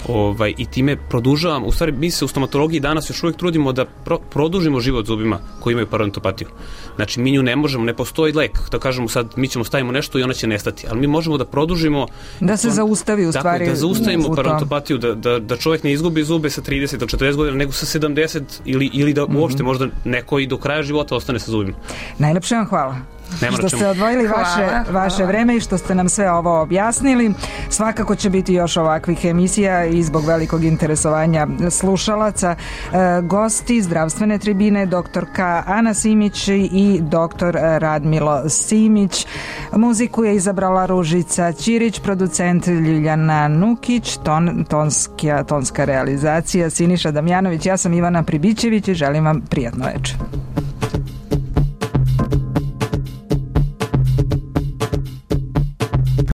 Ovaj, i time produžavamo, u stvari mi se u stomatologiji danas još uvijek trudimo da pro, produžimo život zubima koji imaju parodontopatiju. Znači mi nju ne možemo, ne postoji lek, da kažemo sad mi ćemo stavimo nešto i ona će nestati, ali mi možemo da produžimo da se on, zaustavi u stvari tako, da zaustavimo parodontopatiju, da, da, da čovjek ne izgubi zube sa trideset do četrdeset godina, nego sa sedamdeset ili, ili da mm-hmm. uopšte možda neko i do kraja života ostane sa zubima. Najlepše vam hvala. što ste odvojili vaše, vaše vreme i što ste nam sve ovo objasnili. Svakako će biti još ovakvih emisija i zbog velikog interesovanja slušalaca. E, gosti zdravstvene tribine doktorka Ana Simić i doktor Radmilo Simić. Muziku je izabrala Ružica Ćirić, producent Ljiljana Nukić, ton, tonska, tonska realizacija Siniša Damjanović. Ja sam Ivana Pribićević i želim vam prijatno večer.